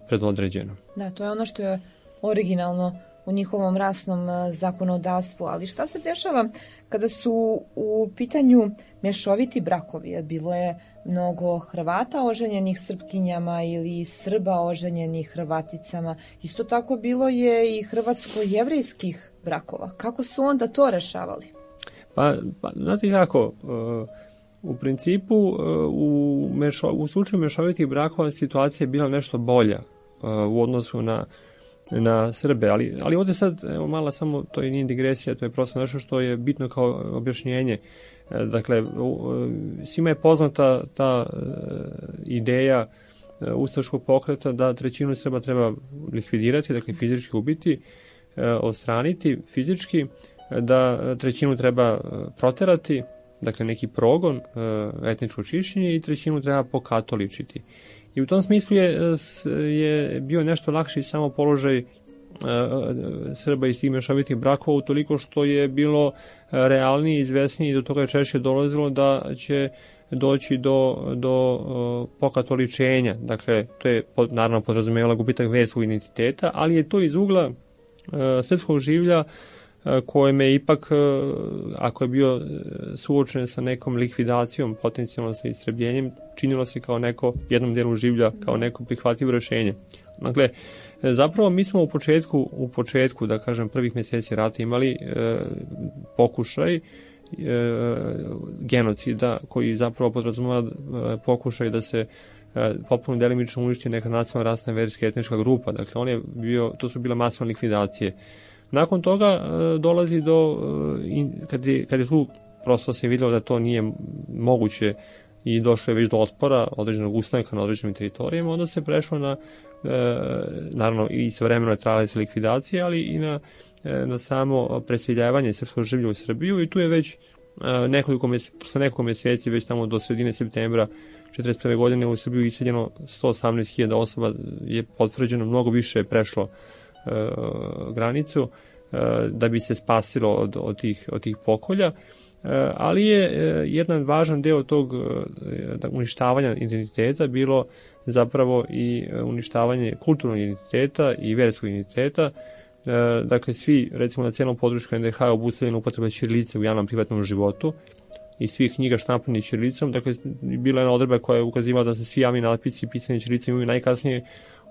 Speaker 4: predodređeno.
Speaker 3: Da, to je ono što je originalno u njihovom rasnom zakonodavstvu, ali šta se dešava kada su u pitanju mešoviti brakovi? Bilo je mnogo Hrvata oženjenih Srpkinjama ili Srba oženjenih Hrvaticama. Isto tako bilo je i hrvatsko-jevrejskih brakova. Kako su onda to rešavali?
Speaker 4: Pa znate kako, u principu u slučaju mešovitih brakova situacija je bila nešto bolja u odnosu na Srbe, ali ovdje sad, evo mala samo, to nije digresija, to je prosto nešto što je bitno kao objašnjenje. Dakle, svima je poznata ta ideja ustaškog pokreta da trećinu Srba treba likvidirati, dakle fizički ubiti, odstraniti fizički, da trećinu treba proterati, dakle neki progon, etničko čišćenje, i trećinu treba pokatoličiti. I u tom smislu je bio nešto lakši samo položaj Srba iz tih mešovitih brakova, utoliko što je bilo realnije i izvesnije i do toga je češće dolazilo da će doći do pokatoličenja. Dakle, to je naravno podrazumijevalo gubitak verskog identiteta, ali je to iz ugla srpskog življa kojem je ipak, ako je bio suočen sa nekom likvidacijom, potencijalno sa istrebljenjem, činilo se kao jednom dijelu življa, kao neko prihvatljivo rešenje. Dakle, zapravo mi smo u početku, da kažem, prvih mjeseci rata imali pokušaj genocida koji zapravo podrazumeva pokušaj da se potpuno delimično uništi neka nacionalna, rasna, verska, etnička grupa. Dakle, to su bile masovne likvidacije. Nakon toga dolazi kad je tu prosto se vidjelo da to nije moguće i došlo je već do otpora određenog ustanka na određenim teritorijama, onda se prešlo na, naravno i svojevremeno je trajala se likvidacija, ali i na samo preseljavanje srpskog življa u Srbiju, i tu je već nekoliko mjeseci, već tamo do sredine septembra 1941. godine u Srbiju iseljeno 118.000 osoba, je potvrđeno, mnogo više je prešlo granicu da bi se spasilo od tih pokolja, ali je jedan važan deo tog uništavanja identiteta bilo zapravo i uništavanje kulturnog identiteta i verskog identiteta. Dakle, svi, recimo na cijelom području NDH je obustavljena upotreba ćirilice u javnom privatnom životu i svih knjiga štampanih ćirilicom. Dakle, bila je jedna odredba koja je ukazivala da se svi javni natpisi pisani ćirilicom imaju najkasnije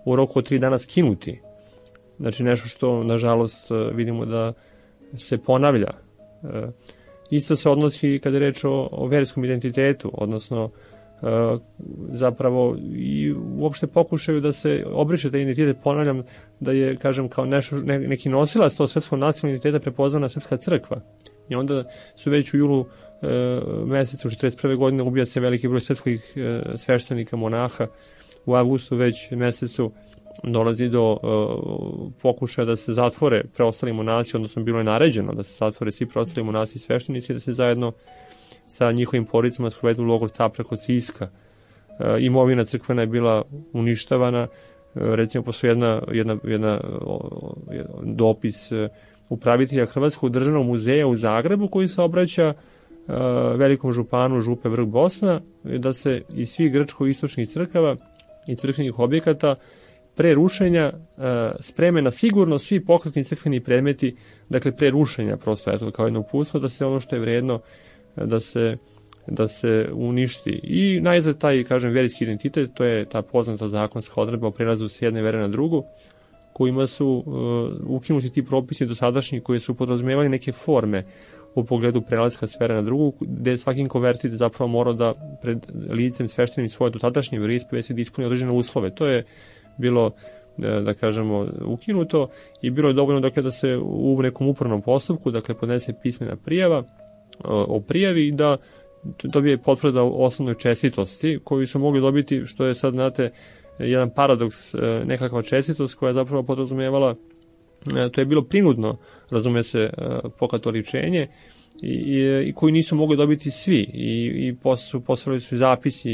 Speaker 4: u roku od 3 dana skinuti. Znači, nešto što, nažalost, vidimo da se ponavlja. Isto se odnosi kada je reč o verskom identitetu, odnosno zapravo i uopšte pokušaju da se obriše taj identitet. Ponavljam da je, kažem, kao neki nosilac tog srpskog nacionalnog identiteta prepoznana Srpska crkva. I onda su već u julu mesecu 1941. godine ubija se veliki broj srpskih sveštenika, monaha. U avgustu već mesecu dolazi do pokušaja da se zatvore preostali monasi, odnosno bilo je naređeno da se zatvore svi preostali monasi i sveštenici, da se zajedno sa njihovim porodicama sprovedu u logor Capra kod Siska. Imovina crkvena je bila uništavana, recimo postoji jedna dopis upravitelja Hrvatskog državnog muzeja u Zagrebu koji se obraća velikom županu Župe Vrh Bosna, da se iz svih grčko-istočnih crkava i crkvenih objekata pre rušenja spreme na sigurno svi pokretni crkveni predmeti, dakle pre rušenja prosto, eto, kao jedno uputstvo, da se ono što je vredno da se uništi. I najzad taj, kažem, verijski identitet, to je ta poznata zakonska odredba o prelazu s jedne vere na drugu, kojima su ukinuti ti propisi dosadašnji koji su podrazumevali neke forme u pogledu prelaska s vere na drugu, gde svaki konvertit zapravo mora da pred licem sveštenim svoje dotadašnje veroispovesti da ispuni određene uslove. To je bilo, da kažemo, ukinuto i bilo je dovoljno, dakle, da se u nekom upravnom postupku, dakle, podnese pismena prijava o prijavi i da dobije potvrda o osnovnoj čestitosti koju su mogli dobiti, što je sad, znate, jedan paradoks, nekakva čestitost koja je zapravo podrazumevala, to je bilo prinudno, razume se, pokatoličenje i koji nisu mogli dobiti svi i su postavili su zapisi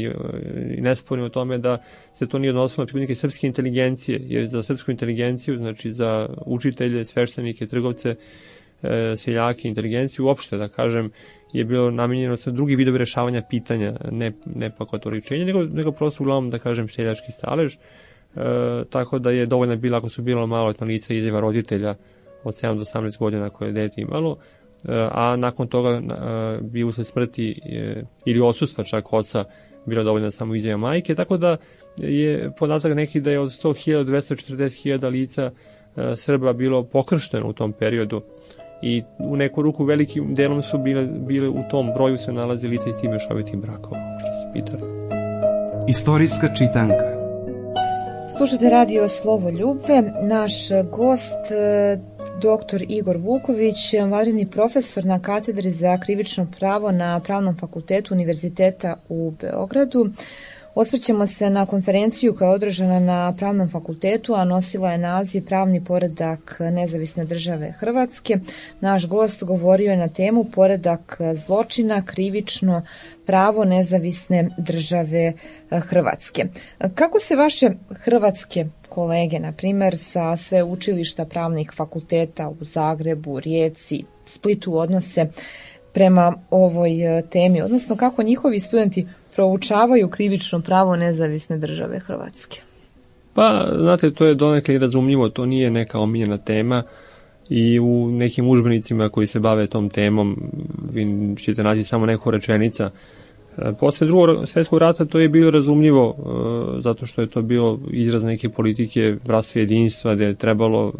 Speaker 4: i nesporni o tome da se to nije odnosilo na pripadnike srpske inteligencije, jer za srpsku inteligenciju, znači za učitelje, sveštenike, trgovce, seljake, inteligenciju uopšte, da kažem, je bilo namenjeno sa drugi vidovi rešavanja pitanja, ne pokatoličenje, nego prosto uglavnom, da kažem, seljački stalež, tako da je dovoljno bila, ako su bilo maloletna lica, izjava roditelja od 7 do 18 godina koje je dete imalo, a nakon toga bi usled smrti ili odsustva čak oca bila dovoljna samo izjava majke, tako da je podatak neki da je od 100.000 do 240.000 lica Srba bilo pokršteno u tom periodu i u neku ruku velikim delom su bile u tom broju se nalazi lica iz tih mešovitih brakova, što se pitali.
Speaker 2: Istorijska čitanka.
Speaker 3: Slušate radio Slovo Ljubve. Naš gost, dr. Igor Vuković, vanredni profesor na katedri za krivično pravo na Pravnom fakultetu Univerziteta u Beogradu. Osvrćemo se na konferenciju koja je održana na Pravnom fakultetu, a nosila je naziv Pravni poredak nezavisne države Hrvatske. Naš gost govorio je na temu Poredak zločina, krivično pravo nezavisne države Hrvatske. Kako se vaše hrvatske kolege, na primjer sa sve učilišta pravnih fakulteta u Zagrebu, Rijeci, Splitu odnose prema ovoj temi, odnosno kako njihovi studenti proučavaju krivično pravo nezavisne države Hrvatske?
Speaker 4: Pa, znate, to je donekle i razumljivo, to nije neka omiljena tema i u nekim udžbenicima koji se bave tom temom vi ćete naći samo neku rečenica. Posle Drugog svjetskog rata to je bilo razumljivo zato što je to bilo izraz neke politike bratstva i jedinstva gde je trebalo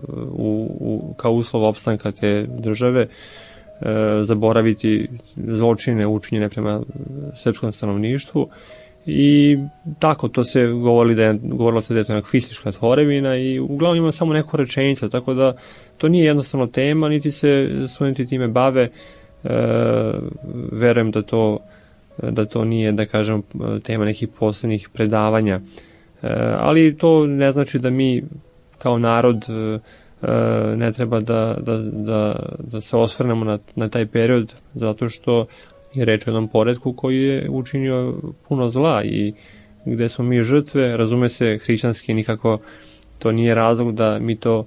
Speaker 4: kao uslov opstanka te države zaboraviti zločine učinjene prema srpskom stanovništvu i tako to se govorilo se da je to anarhistička tvorevina i uglavnom ima samo neku rečenicu, tako da to nije jednostavno tema, niti se studenti time bave. Verujem da to nije, da kažem, tema nekih posebnih predavanja, ali to ne znači da mi kao narod ne treba da se osvrnemo na taj period, zato što je reč o jednom poretku koji je učinio puno zla i gde smo mi žrtve, razume se, hrišćanski nikako to nije razlog da mi to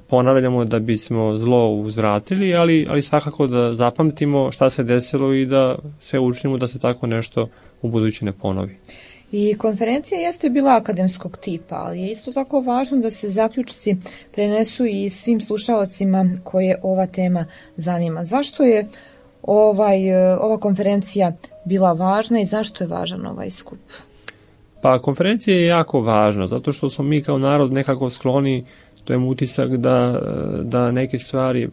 Speaker 4: ponavljamo da bismo zlo uzvratili, ali svakako da zapamtimo šta se desilo i da sve učinimo da se tako nešto u budući ne ponovi.
Speaker 3: I konferencija jeste bila akademskog tipa, ali je isto tako važno da se zaključci prenesu i svim slušaocima koje ova tema zanima. Zašto je ova konferencija bila važna i zašto je važan ovaj skup?
Speaker 4: Pa konferencija je jako važna, zato što smo mi kao narod nekako skloni, to je utisak da neke stvari,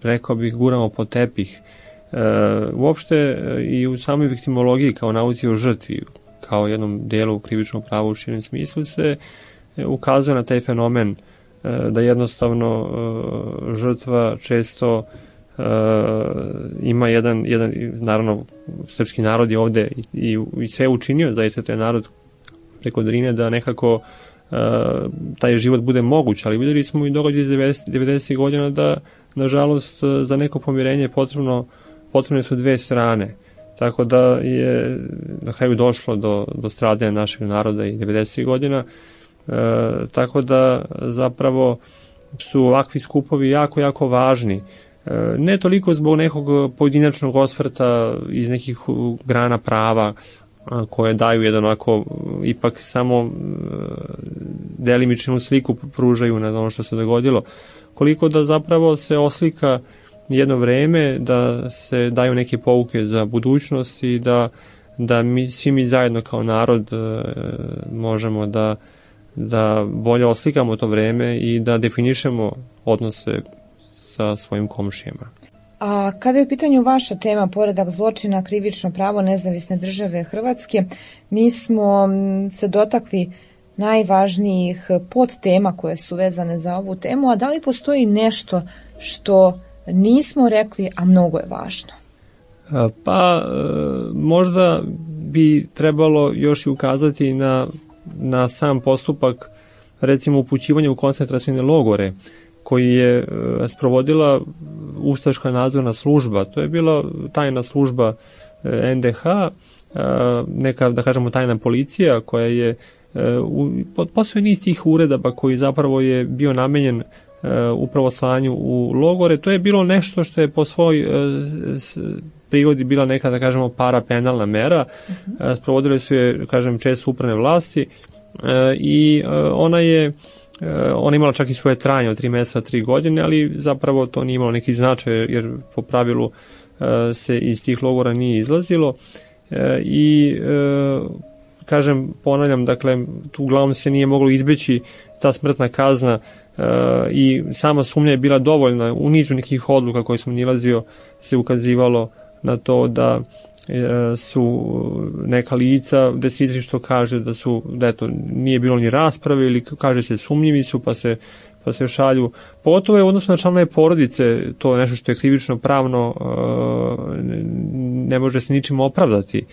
Speaker 4: rekao bih, guramo pod tepih. Uopšte i u samoj viktimologiji kao nauci o žrtvi, kao jednom delu krivičnog prava u širem smislu se ukazuje na taj fenomen da jednostavno žrtva često ima jedan naravno srpski narod je ovde i sve učinio, zaista taj narod preko Drine da nekako taj život bude moguć, ali vidjeli smo i događaj iz 90. godina da, nažalost, za neko pomirenje potrebne su dve strane. Tako da je na kraju došlo do stradanja našeg naroda i 90. godina. Tako da zapravo su ovakvi skupovi jako, jako važni. Ne toliko zbog nekog pojedinačnog osvrta iz nekih grana prava koje daju jedan onako ipak samo delimičnu sliku pružaju na ono što se dogodilo, koliko da zapravo se oslika jedno vreme, da se daju neke pouke za budućnost i da svi mi zajedno kao narod možemo da bolje oslikamo to vreme i da definišemo odnose sa svojim komšijama.
Speaker 3: A kada je u pitanju vaša tema, poredak zločina, krivično pravo nezavisne države Hrvatske, mi smo se dotakli najvažnijih podtema koje su vezane za ovu temu, a da li postoji nešto što nismo rekli, a mnogo je važno?
Speaker 4: Pa možda bi trebalo još i ukazati na sam postupak, recimo upućivanja u koncentracione logore, koji je sprovodila ustaška nadzorna služba. To je bila tajna služba NDH, neka, da kažemo, tajna policija koja je postojao niz tih uredaba koji zapravo je bio namenjen upravo slanju u logore. To je bilo nešto što je po svoj prirodi bila neka, da kažemo, parapenalna mera. Sprovodile su je, kažem, često upravne vlasti i ona imala čak i svoje trajanje od 3 meseca, 3 godine, ali zapravo to nije imalo neki značaj, jer po pravilu se iz tih logora nije izlazilo i kažem, ponavljam, dakle, tu uglavnom se nije moglo izbeći ta smrtna kazna i sama sumnja je bila dovoljna. U nizu nekih odluka koje sam nilazio se ukazivalo na to da su neka lica gde se izričito kaže da eto, nije bilo ni rasprave ili kaže se sumnjivi su pa se šalju. Pogotovo je u odnosu na članove porodice to je nešto što je krivično pravno ne može se ničim opravdati.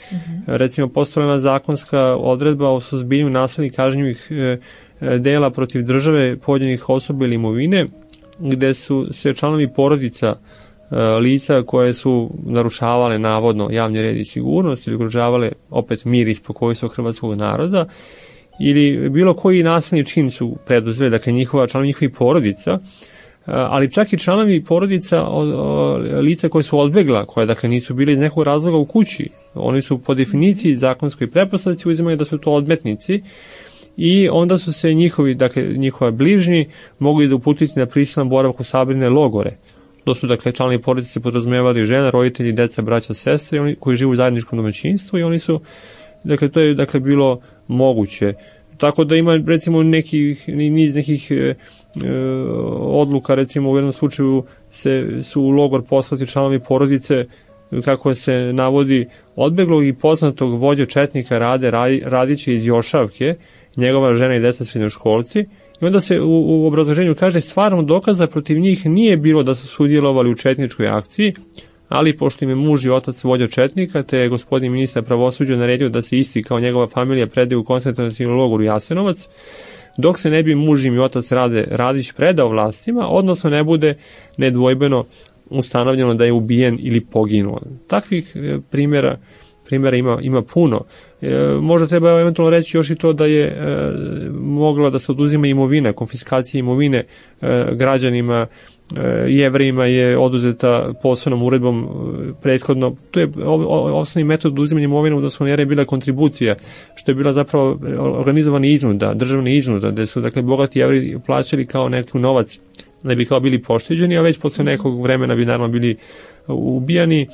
Speaker 4: Recimo, postojala zakonska odredba o suzbijanju nasilnih kažnjivih dela protiv države, pojedinih osoba ili imovine, gde su se članovi porodica lica koje su narušavale navodno javni red i sigurnost ili ugrožavale opet mir i spokojstvo hrvatskog naroda ili bilo koji nasilni čin su preduzeli, dakle članovi njihovih porodica, ali čak i članovi porodica lica koje su odbegla, koje dakle nisu bili iz nekog razloga u kući. Oni su po definiciji zakonskoj pretpostavci uzimaju da su to odmetnici i onda su se njihova bližnji mogli da uputiti na prisilan boravak u sabirne logore. To su, dakle, članovi porodice se podrazumevali žena, roditelji, deca, braća, sestre, oni koji žive u zajedničkom domaćinstvu i oni su, dakle, to je, dakle, bilo moguće. Tako da ima, recimo, niz nekih odluka, recimo, u jednom slučaju su u logor poslati članovi porodice, kako se navodi, odbeglog i poznatog vođa četnika Radića iz Jošavke, njegova žena i deca srednjoškolci. I onda se u obrazloženju kaže stvarno dokaza protiv njih nije bilo da su sudjelovali u četničkoj akciji, ali pošto im je muž i otac vođa četnika, te je gospodin ministar pravosuđa naredio da se isti kao njegova familija predaju u koncentracioni logor u Jasenovac, dok se ne bi muž i otac Radić predao vlastima, odnosno ne bude nedvojbeno ustanovljeno da je ubijen ili poginuo. Takvih primjera ima puno. Možda treba eventualno reći još i to da je mogla da se oduzima imovina, konfiskacija imovine građanima, Jevrejima je oduzeta posebnom uredbom prethodno. To je osnovni metod oduzimanja imovine u odnosu na Jevreje bila kontribucija, što je bila zapravo organizovana iznuda, državna iznuda, gde su, dakle, bogati Jevreji plaćali kao neki novac da bi kao bili pošteđeni, a već posle nekog vremena bi naravno bili ubijani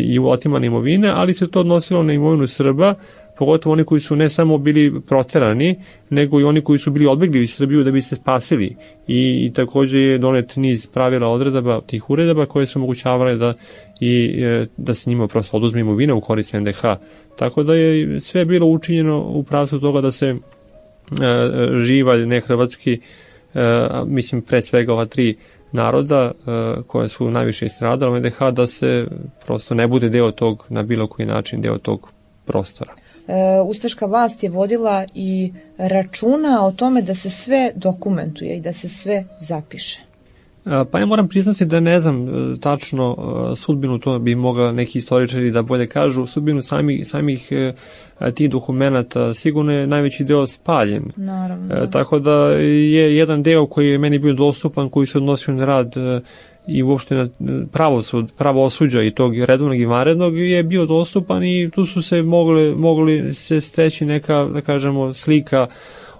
Speaker 4: i otimane imovine, ali se to odnosilo na imovinu Srba, pogotovo oni koji su ne samo bili proterani, nego i oni koji su bili odbegli iz Srbiju da bi se spasili. I takođe je donet niz pravila odredaba, tih uredaba koje su omogućavale da se njima prosto oduzme imovina u korist NDH. Tako da je sve bilo učinjeno u pravcu toga da se živalj nehrvatski, mislim pre svega ova 3 naroda koje su najviše stradale u NDH, da se prosto ne bude deo tog, na bilo koji način, deo tog prostora.
Speaker 3: ustaška vlast je vodila i računa o tome da se sve dokumentuje i da se sve zapiše.
Speaker 4: Pa ja moram priznati da ne znam tačno sudbinu, to bi mogla neki istoričari da bolje kažu, sudbinu samih tih dokumenata. Sigurno je najveći deo spaljen.
Speaker 3: Naravno.
Speaker 4: Tako da je jedan deo koji je meni bio dostupan, koji se odnosio na rad i uopšte na pravosuđa i tog redovnog i vanrednog, je bio dostupan i tu su se mogli se steći neka, da kažemo, slika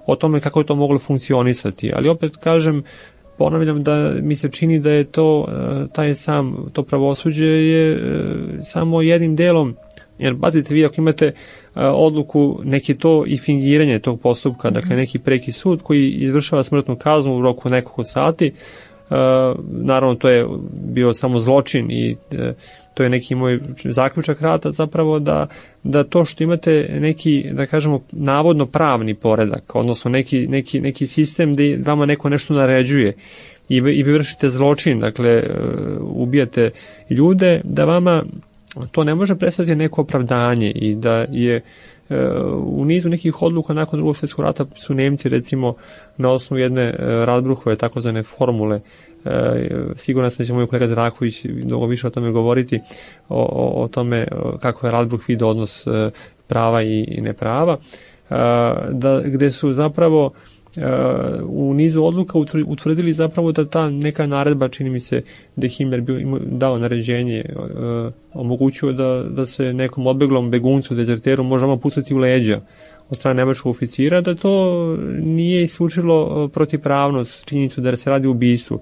Speaker 4: o tome kako je to moglo funkcionisati. Ali opet kažem, ponavljam da mi se čini da je to to pravosuđe je samo jednim delom, jer pazite vi ako imate odluku, neki to i fingiranje tog postupka, dakle neki preki sud koji izvršava smrtnu kaznu u roku nekoliko sati, naravno to je bio samo zločin i to je neki moj zaključak rata zapravo da to što imate neki, da kažemo, navodno pravni poredak, odnosno neki sistem gde vama neko nešto naređuje i vi vršite zločin, dakle ubijate ljude, da vama to ne može predstaviti neko opravdanje i da je u nizu nekih odluka nakon Drugog svjetskog rata su Nemci recimo na osnovu jedne Radbruchove takozvane formule, sigurno sam da će moj kolega Zraković mnogo više o tome govoriti, o tome kako je Radbruch vidio odnos prava i neprava, gde su zapravo u nizu odluka utvrdili zapravo da ta neka naredba, čini mi se da je Himmler dao naređenje, omogućio da se nekom odbeglom beguncu, dezerteru možemo pucati u leđa od strane nemačkog oficira, da to nije isključilo protivpravnost, činjenicu da se radi o ubistvu.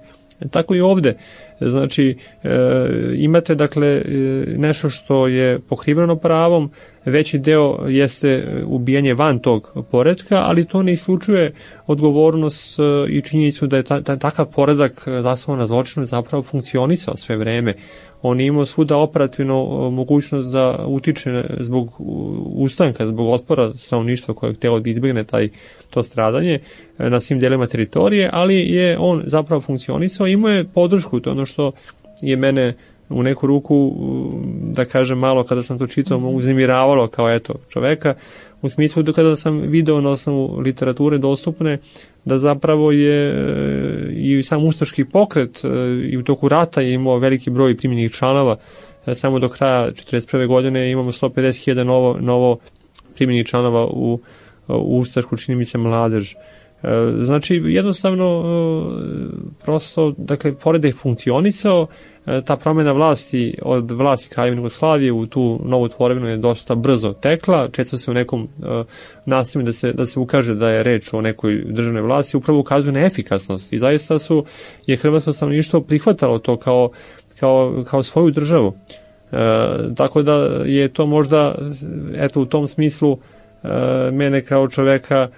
Speaker 4: Tako i ovde. Znači, imate dakle nešto što je pokriveno pravom, veći deo jeste ubijanje van tog poretka, ali to ne isključuje odgovornost i činjenicu da je takav poredak zasnovan na zločinu zapravo funkcionisao sve vreme. On je imao svuda operativno mogućnost da utiče zbog ustanka, zbog otpora stanovništva koje je htjelo da izbjegne to stradanje na svim delima teritorije, ali je on zapravo funkcionisao, imao je podršku, to je ono što je mene u neku ruku, da kažem malo kada sam to čitao, uznemiravalo kao eto čoveka, u smislu da kada sam video na osnovu literature dostupne da zapravo je i sam ustaški pokret i u toku rata je imao veliki broj primljenih članova, samo do kraja 1941. godine imamo 150.000 novo primljenih članova u ustašku, čini mi se, mladež. Znači, jednostavno, prosto, dakle, pored da je funkcionisao, ta promjena vlasti od vlasti Kraljevine Jugoslavije u tu novu tvorevinu je dosta brzo tekla, često se u nekom nastavlju da se ukaže da je reč o nekoj državnoj vlasti, upravo ukazuje na efikasnost i zaista je hrvatsko stanovništvo prihvatalo to kao svoju državu. Tako da je to možda, eto, u tom smislu mene kao čoveka,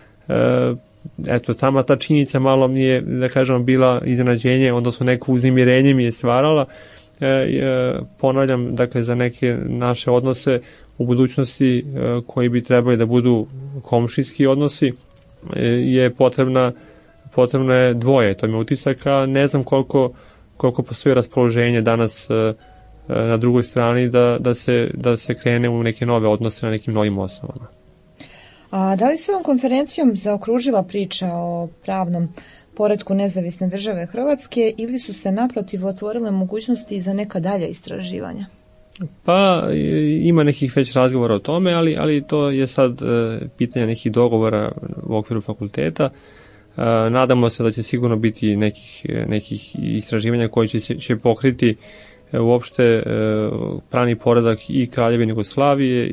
Speaker 4: eto, tamo ta činjenica malo mi je, da kažem, bila iznenađenje, odnosno neko uznemirenje mi je stvarala. Ponavljam, dakle, za neke naše odnose u budućnosti koji bi trebali da budu komšijski odnosi je potrebno je dvoje, to mi je utisak, a ne znam koliko postoji raspoloženje danas na drugoj strani da se krene u neke nove odnose na nekim novim osnovama.
Speaker 3: A da li se ovom konferencijom zaokružila priča o pravnom poretku nezavisne države Hrvatske ili su se naprotiv otvorile mogućnosti za neka dalja istraživanja?
Speaker 4: Pa ima nekih već razgovora o tome, ali to je sad pitanje nekih dogovora u okviru fakulteta. Nadamo se da će sigurno biti nekih istraživanja koji će pokriti uopšte pravni poredak i Kraljevine Jugoslavije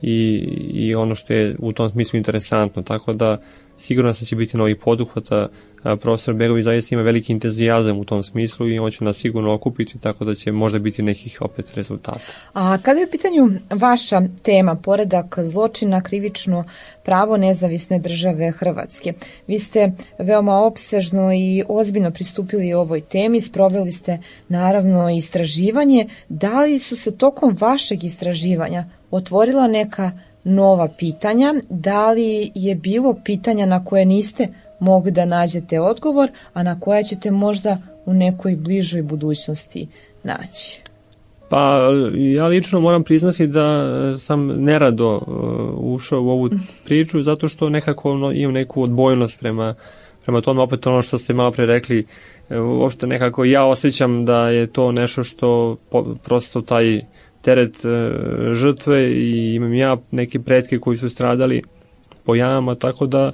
Speaker 4: i ono što je u tom smislu interesantno, tako da sigurno će biti novih poduhvata. Profesor Begović zaista ima veliki entuzijazam u tom smislu i on će nas sigurno okupiti, tako da će možda biti nekih opet rezultata. A
Speaker 3: kada je u pitanju vaša tema, poredak zločina, krivično pravo nezavisne države Hrvatske, vi ste veoma opsežno i ozbiljno pristupili ovoj temi, sproveli ste naravno istraživanje. Da li su se tokom vašeg istraživanja otvorila neka nova pitanja? Da li je bilo pitanja na koje niste mogli da nađete odgovor, a na koja ćete možda u nekoj bližoj budućnosti naći?
Speaker 4: Pa ja lično moram priznati da sam nerado ušao u ovu priču zato što nekako imam neku odbojnost prema tome, opet ono što ste malo pre rekli, uopšte nekako ja osjećam da je to nešto što prosto taj teret žrtve i imam ja neke pretke koji su stradali po jamama, tako da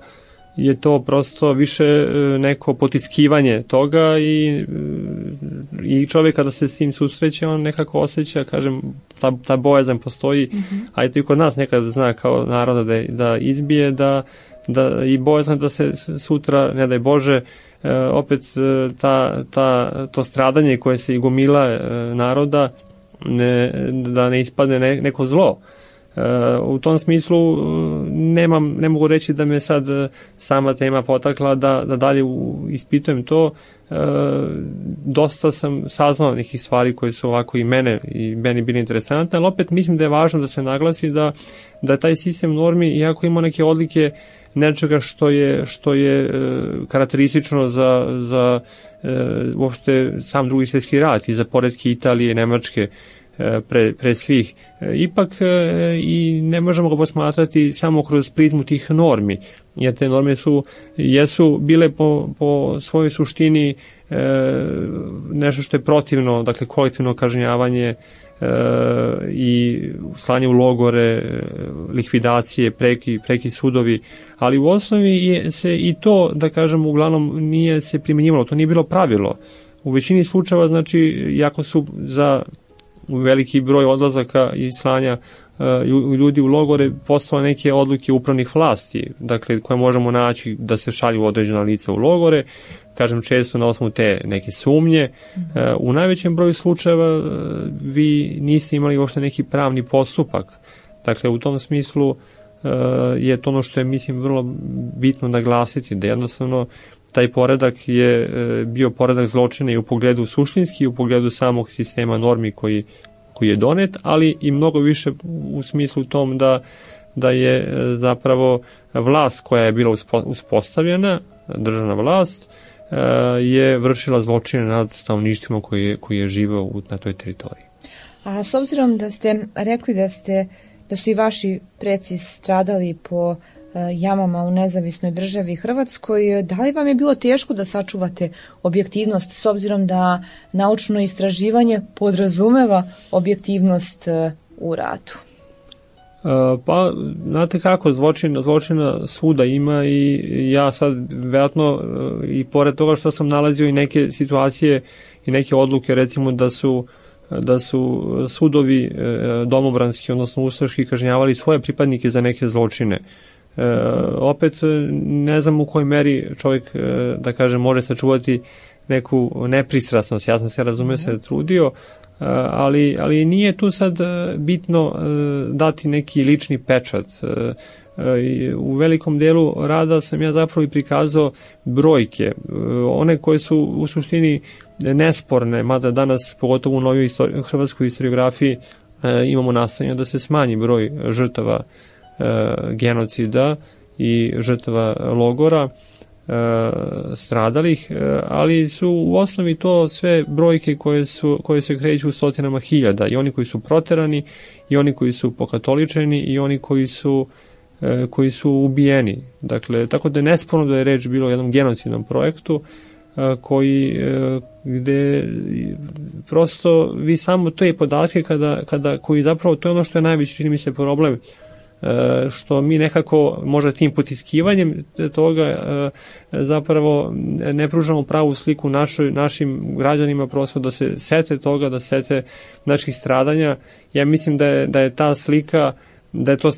Speaker 4: je to prosto više neko potiskivanje toga i čovjek kada se s tim susreće, on nekako osjeća, kažem, ta bojazan postoji, a i to i kod nas nekad zna kao naroda da izbije, da i bojazan da se sutra, ne daj Bože, opet to stradanje koje se gomila naroda da ne ispadne neko zlo. U tom smislu ne mogu reći da me sad sama tema potakla da dalje ispitujem to. Dosta sam saznao nekih stvari koje su ovako i meni bili interesantne, ali opet mislim da je važno da se naglasi da taj sistem normi, iako ima neke odlike nečega što je karakteristično za uopšte sam Drugi svjetski rat i za poretke Italije, Nemačke, pre svih. Ipak i ne možemo ga posmatrati samo kroz prizmu tih normi, jer te norme jesu bile po svojoj suštini nešto što je protivno, dakle kolektivno kažnjavanje i slanje u logore, likvidacije, preki sudovi, ali u osnovi se i to, da kažem, uglavnom nije se primjenjivalo, to nije bilo pravilo. U većini slučajeva, znači, jako su za veliki broj odlazaka i slanja ljudi u logore postale neke odluke upravnih vlasti, dakle, koje možemo naći da se šalju određena lica u logore, kažem često na osnovu te neke sumnje. U najvećem broju slučajeva vi niste imali uopšte neki pravni postupak. Dakle, u tom smislu je to ono što je, mislim, vrlo bitno naglasiti, da jednostavno taj poredak je bio poredak zločina i u pogledu suštinski, i u pogledu samog sistema normi koji je donet, ali i mnogo više u smislu tom da je zapravo vlast koja je bila uspostavljena, državna vlast, je vršila zločine nad stanovništvima koji je živeo na toj teritoriji.
Speaker 3: A s obzirom da ste rekli da su i vaši preci stradali po jamama u nezavisnoj državi Hrvatskoj, da li vam je bilo teško da sačuvate objektivnost, s obzirom da naučno istraživanje podrazumeva objektivnost u ratu?
Speaker 4: Pa, znate kako, zločina svuda ima i ja sad vjerojatno i pored toga što sam nalazio i neke situacije i neke odluke, recimo da su sudovi domobranski, odnosno ustaški, kažnjavali svoje pripadnike za neke zločine. Opet ne znam u kojoj meri čovjek, da kažem, može sačuvati neku nepristrasnost. Ja sam se, razume se, trudio, ali nije tu sad bitno dati neki lični pečat. U velikom delu rada sam ja zapravo i prikazao brojke, one koje su u suštini nesporne, mada danas, pogotovo u novoj hrvatskoj historiografiji, imamo nastojanje da se smanji broj žrtava genocida i žrtava logora stradalih, ali su u osnovi to sve brojke koje se kreću u stotinama hiljada, i oni koji su proterani, i oni koji su pokatoličeni, i oni koji su ubijeni. Dakle, tako da je nesporno da je reč bilo o jednom genocidnom projektu gde prosto vi samo te podatke koji zapravo, to je ono što je najveći, čini mi se, problem, što mi nekako možda tim potiskivanjem toga zapravo ne pružamo pravu sliku našim građanima, prosto da se sete toga, da se sete naših stradanja. Ja mislim da je ta slika, da je to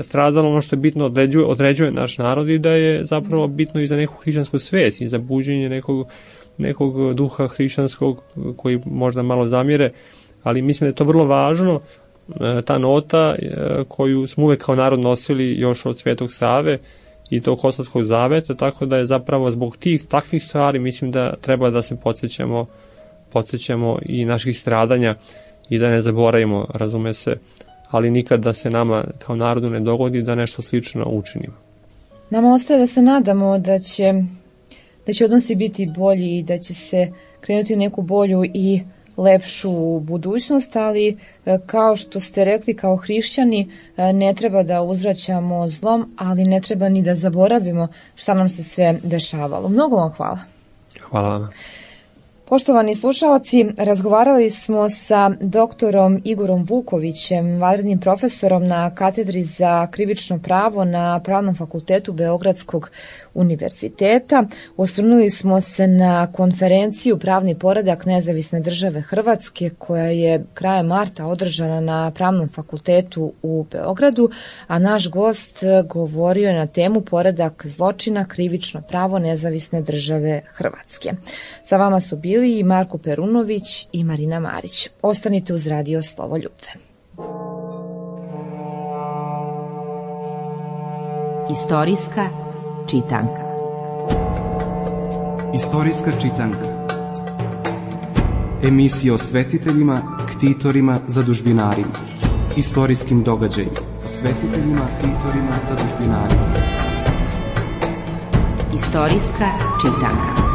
Speaker 4: stradalo ono što je bitno određuje naš narod, i da je zapravo bitno i za neku hrišćansku svest i za buđenje nekog duha hrišćanskog koji možda malo zamire, ali mislim da je to vrlo važno, ta nota koju smo uvek kao narod nosili još od Svetog Save i tog Kosovskog zaveta, tako da je zapravo zbog takvih stvari mislim da treba da se podsjećamo i naših stradanja i da ne zaboravimo, razume se, ali nikad da se nama kao narodu ne dogodi da nešto slično učinimo.
Speaker 3: Nama ostaje da se nadamo da će odnosi biti bolji i da će se krenuti u neku bolju i lepšu budućnost, ali kao što ste rekli, kao hrišćani ne treba da uzvraćamo zlom, ali ne treba ni da zaboravimo šta nam se sve dešavalo. Mnogo vam hvala.
Speaker 4: Hvala vam.
Speaker 3: Poštovani slušaoci, razgovarali smo sa doktorom Igorom Vukovićem, vanrednim profesorom na katedri za krivično pravo na Pravnom fakultetu Beogradskog univerziteta. Osvrnuli smo se na konferenciju Pravni poredak Nezavisne države Hrvatske koja je krajem marta održana na Pravnom fakultetu u Beogradu, a naš gost govorio je na temu Poredak zločina, krivično pravo Nezavisne države Hrvatske. Sa vama su bili i Marko Perunović i Marina Marić. Ostanite uz radio Slovoljubve.
Speaker 1: Istorijska čitanka.
Speaker 2: Istorijska čitanka. Emisija o svetiteljima, ktitorima, zadužbinarima. Istorijskim događajima. O svetiteljima, ktitorima, zadužbinarima.
Speaker 1: Istorijska čitanka.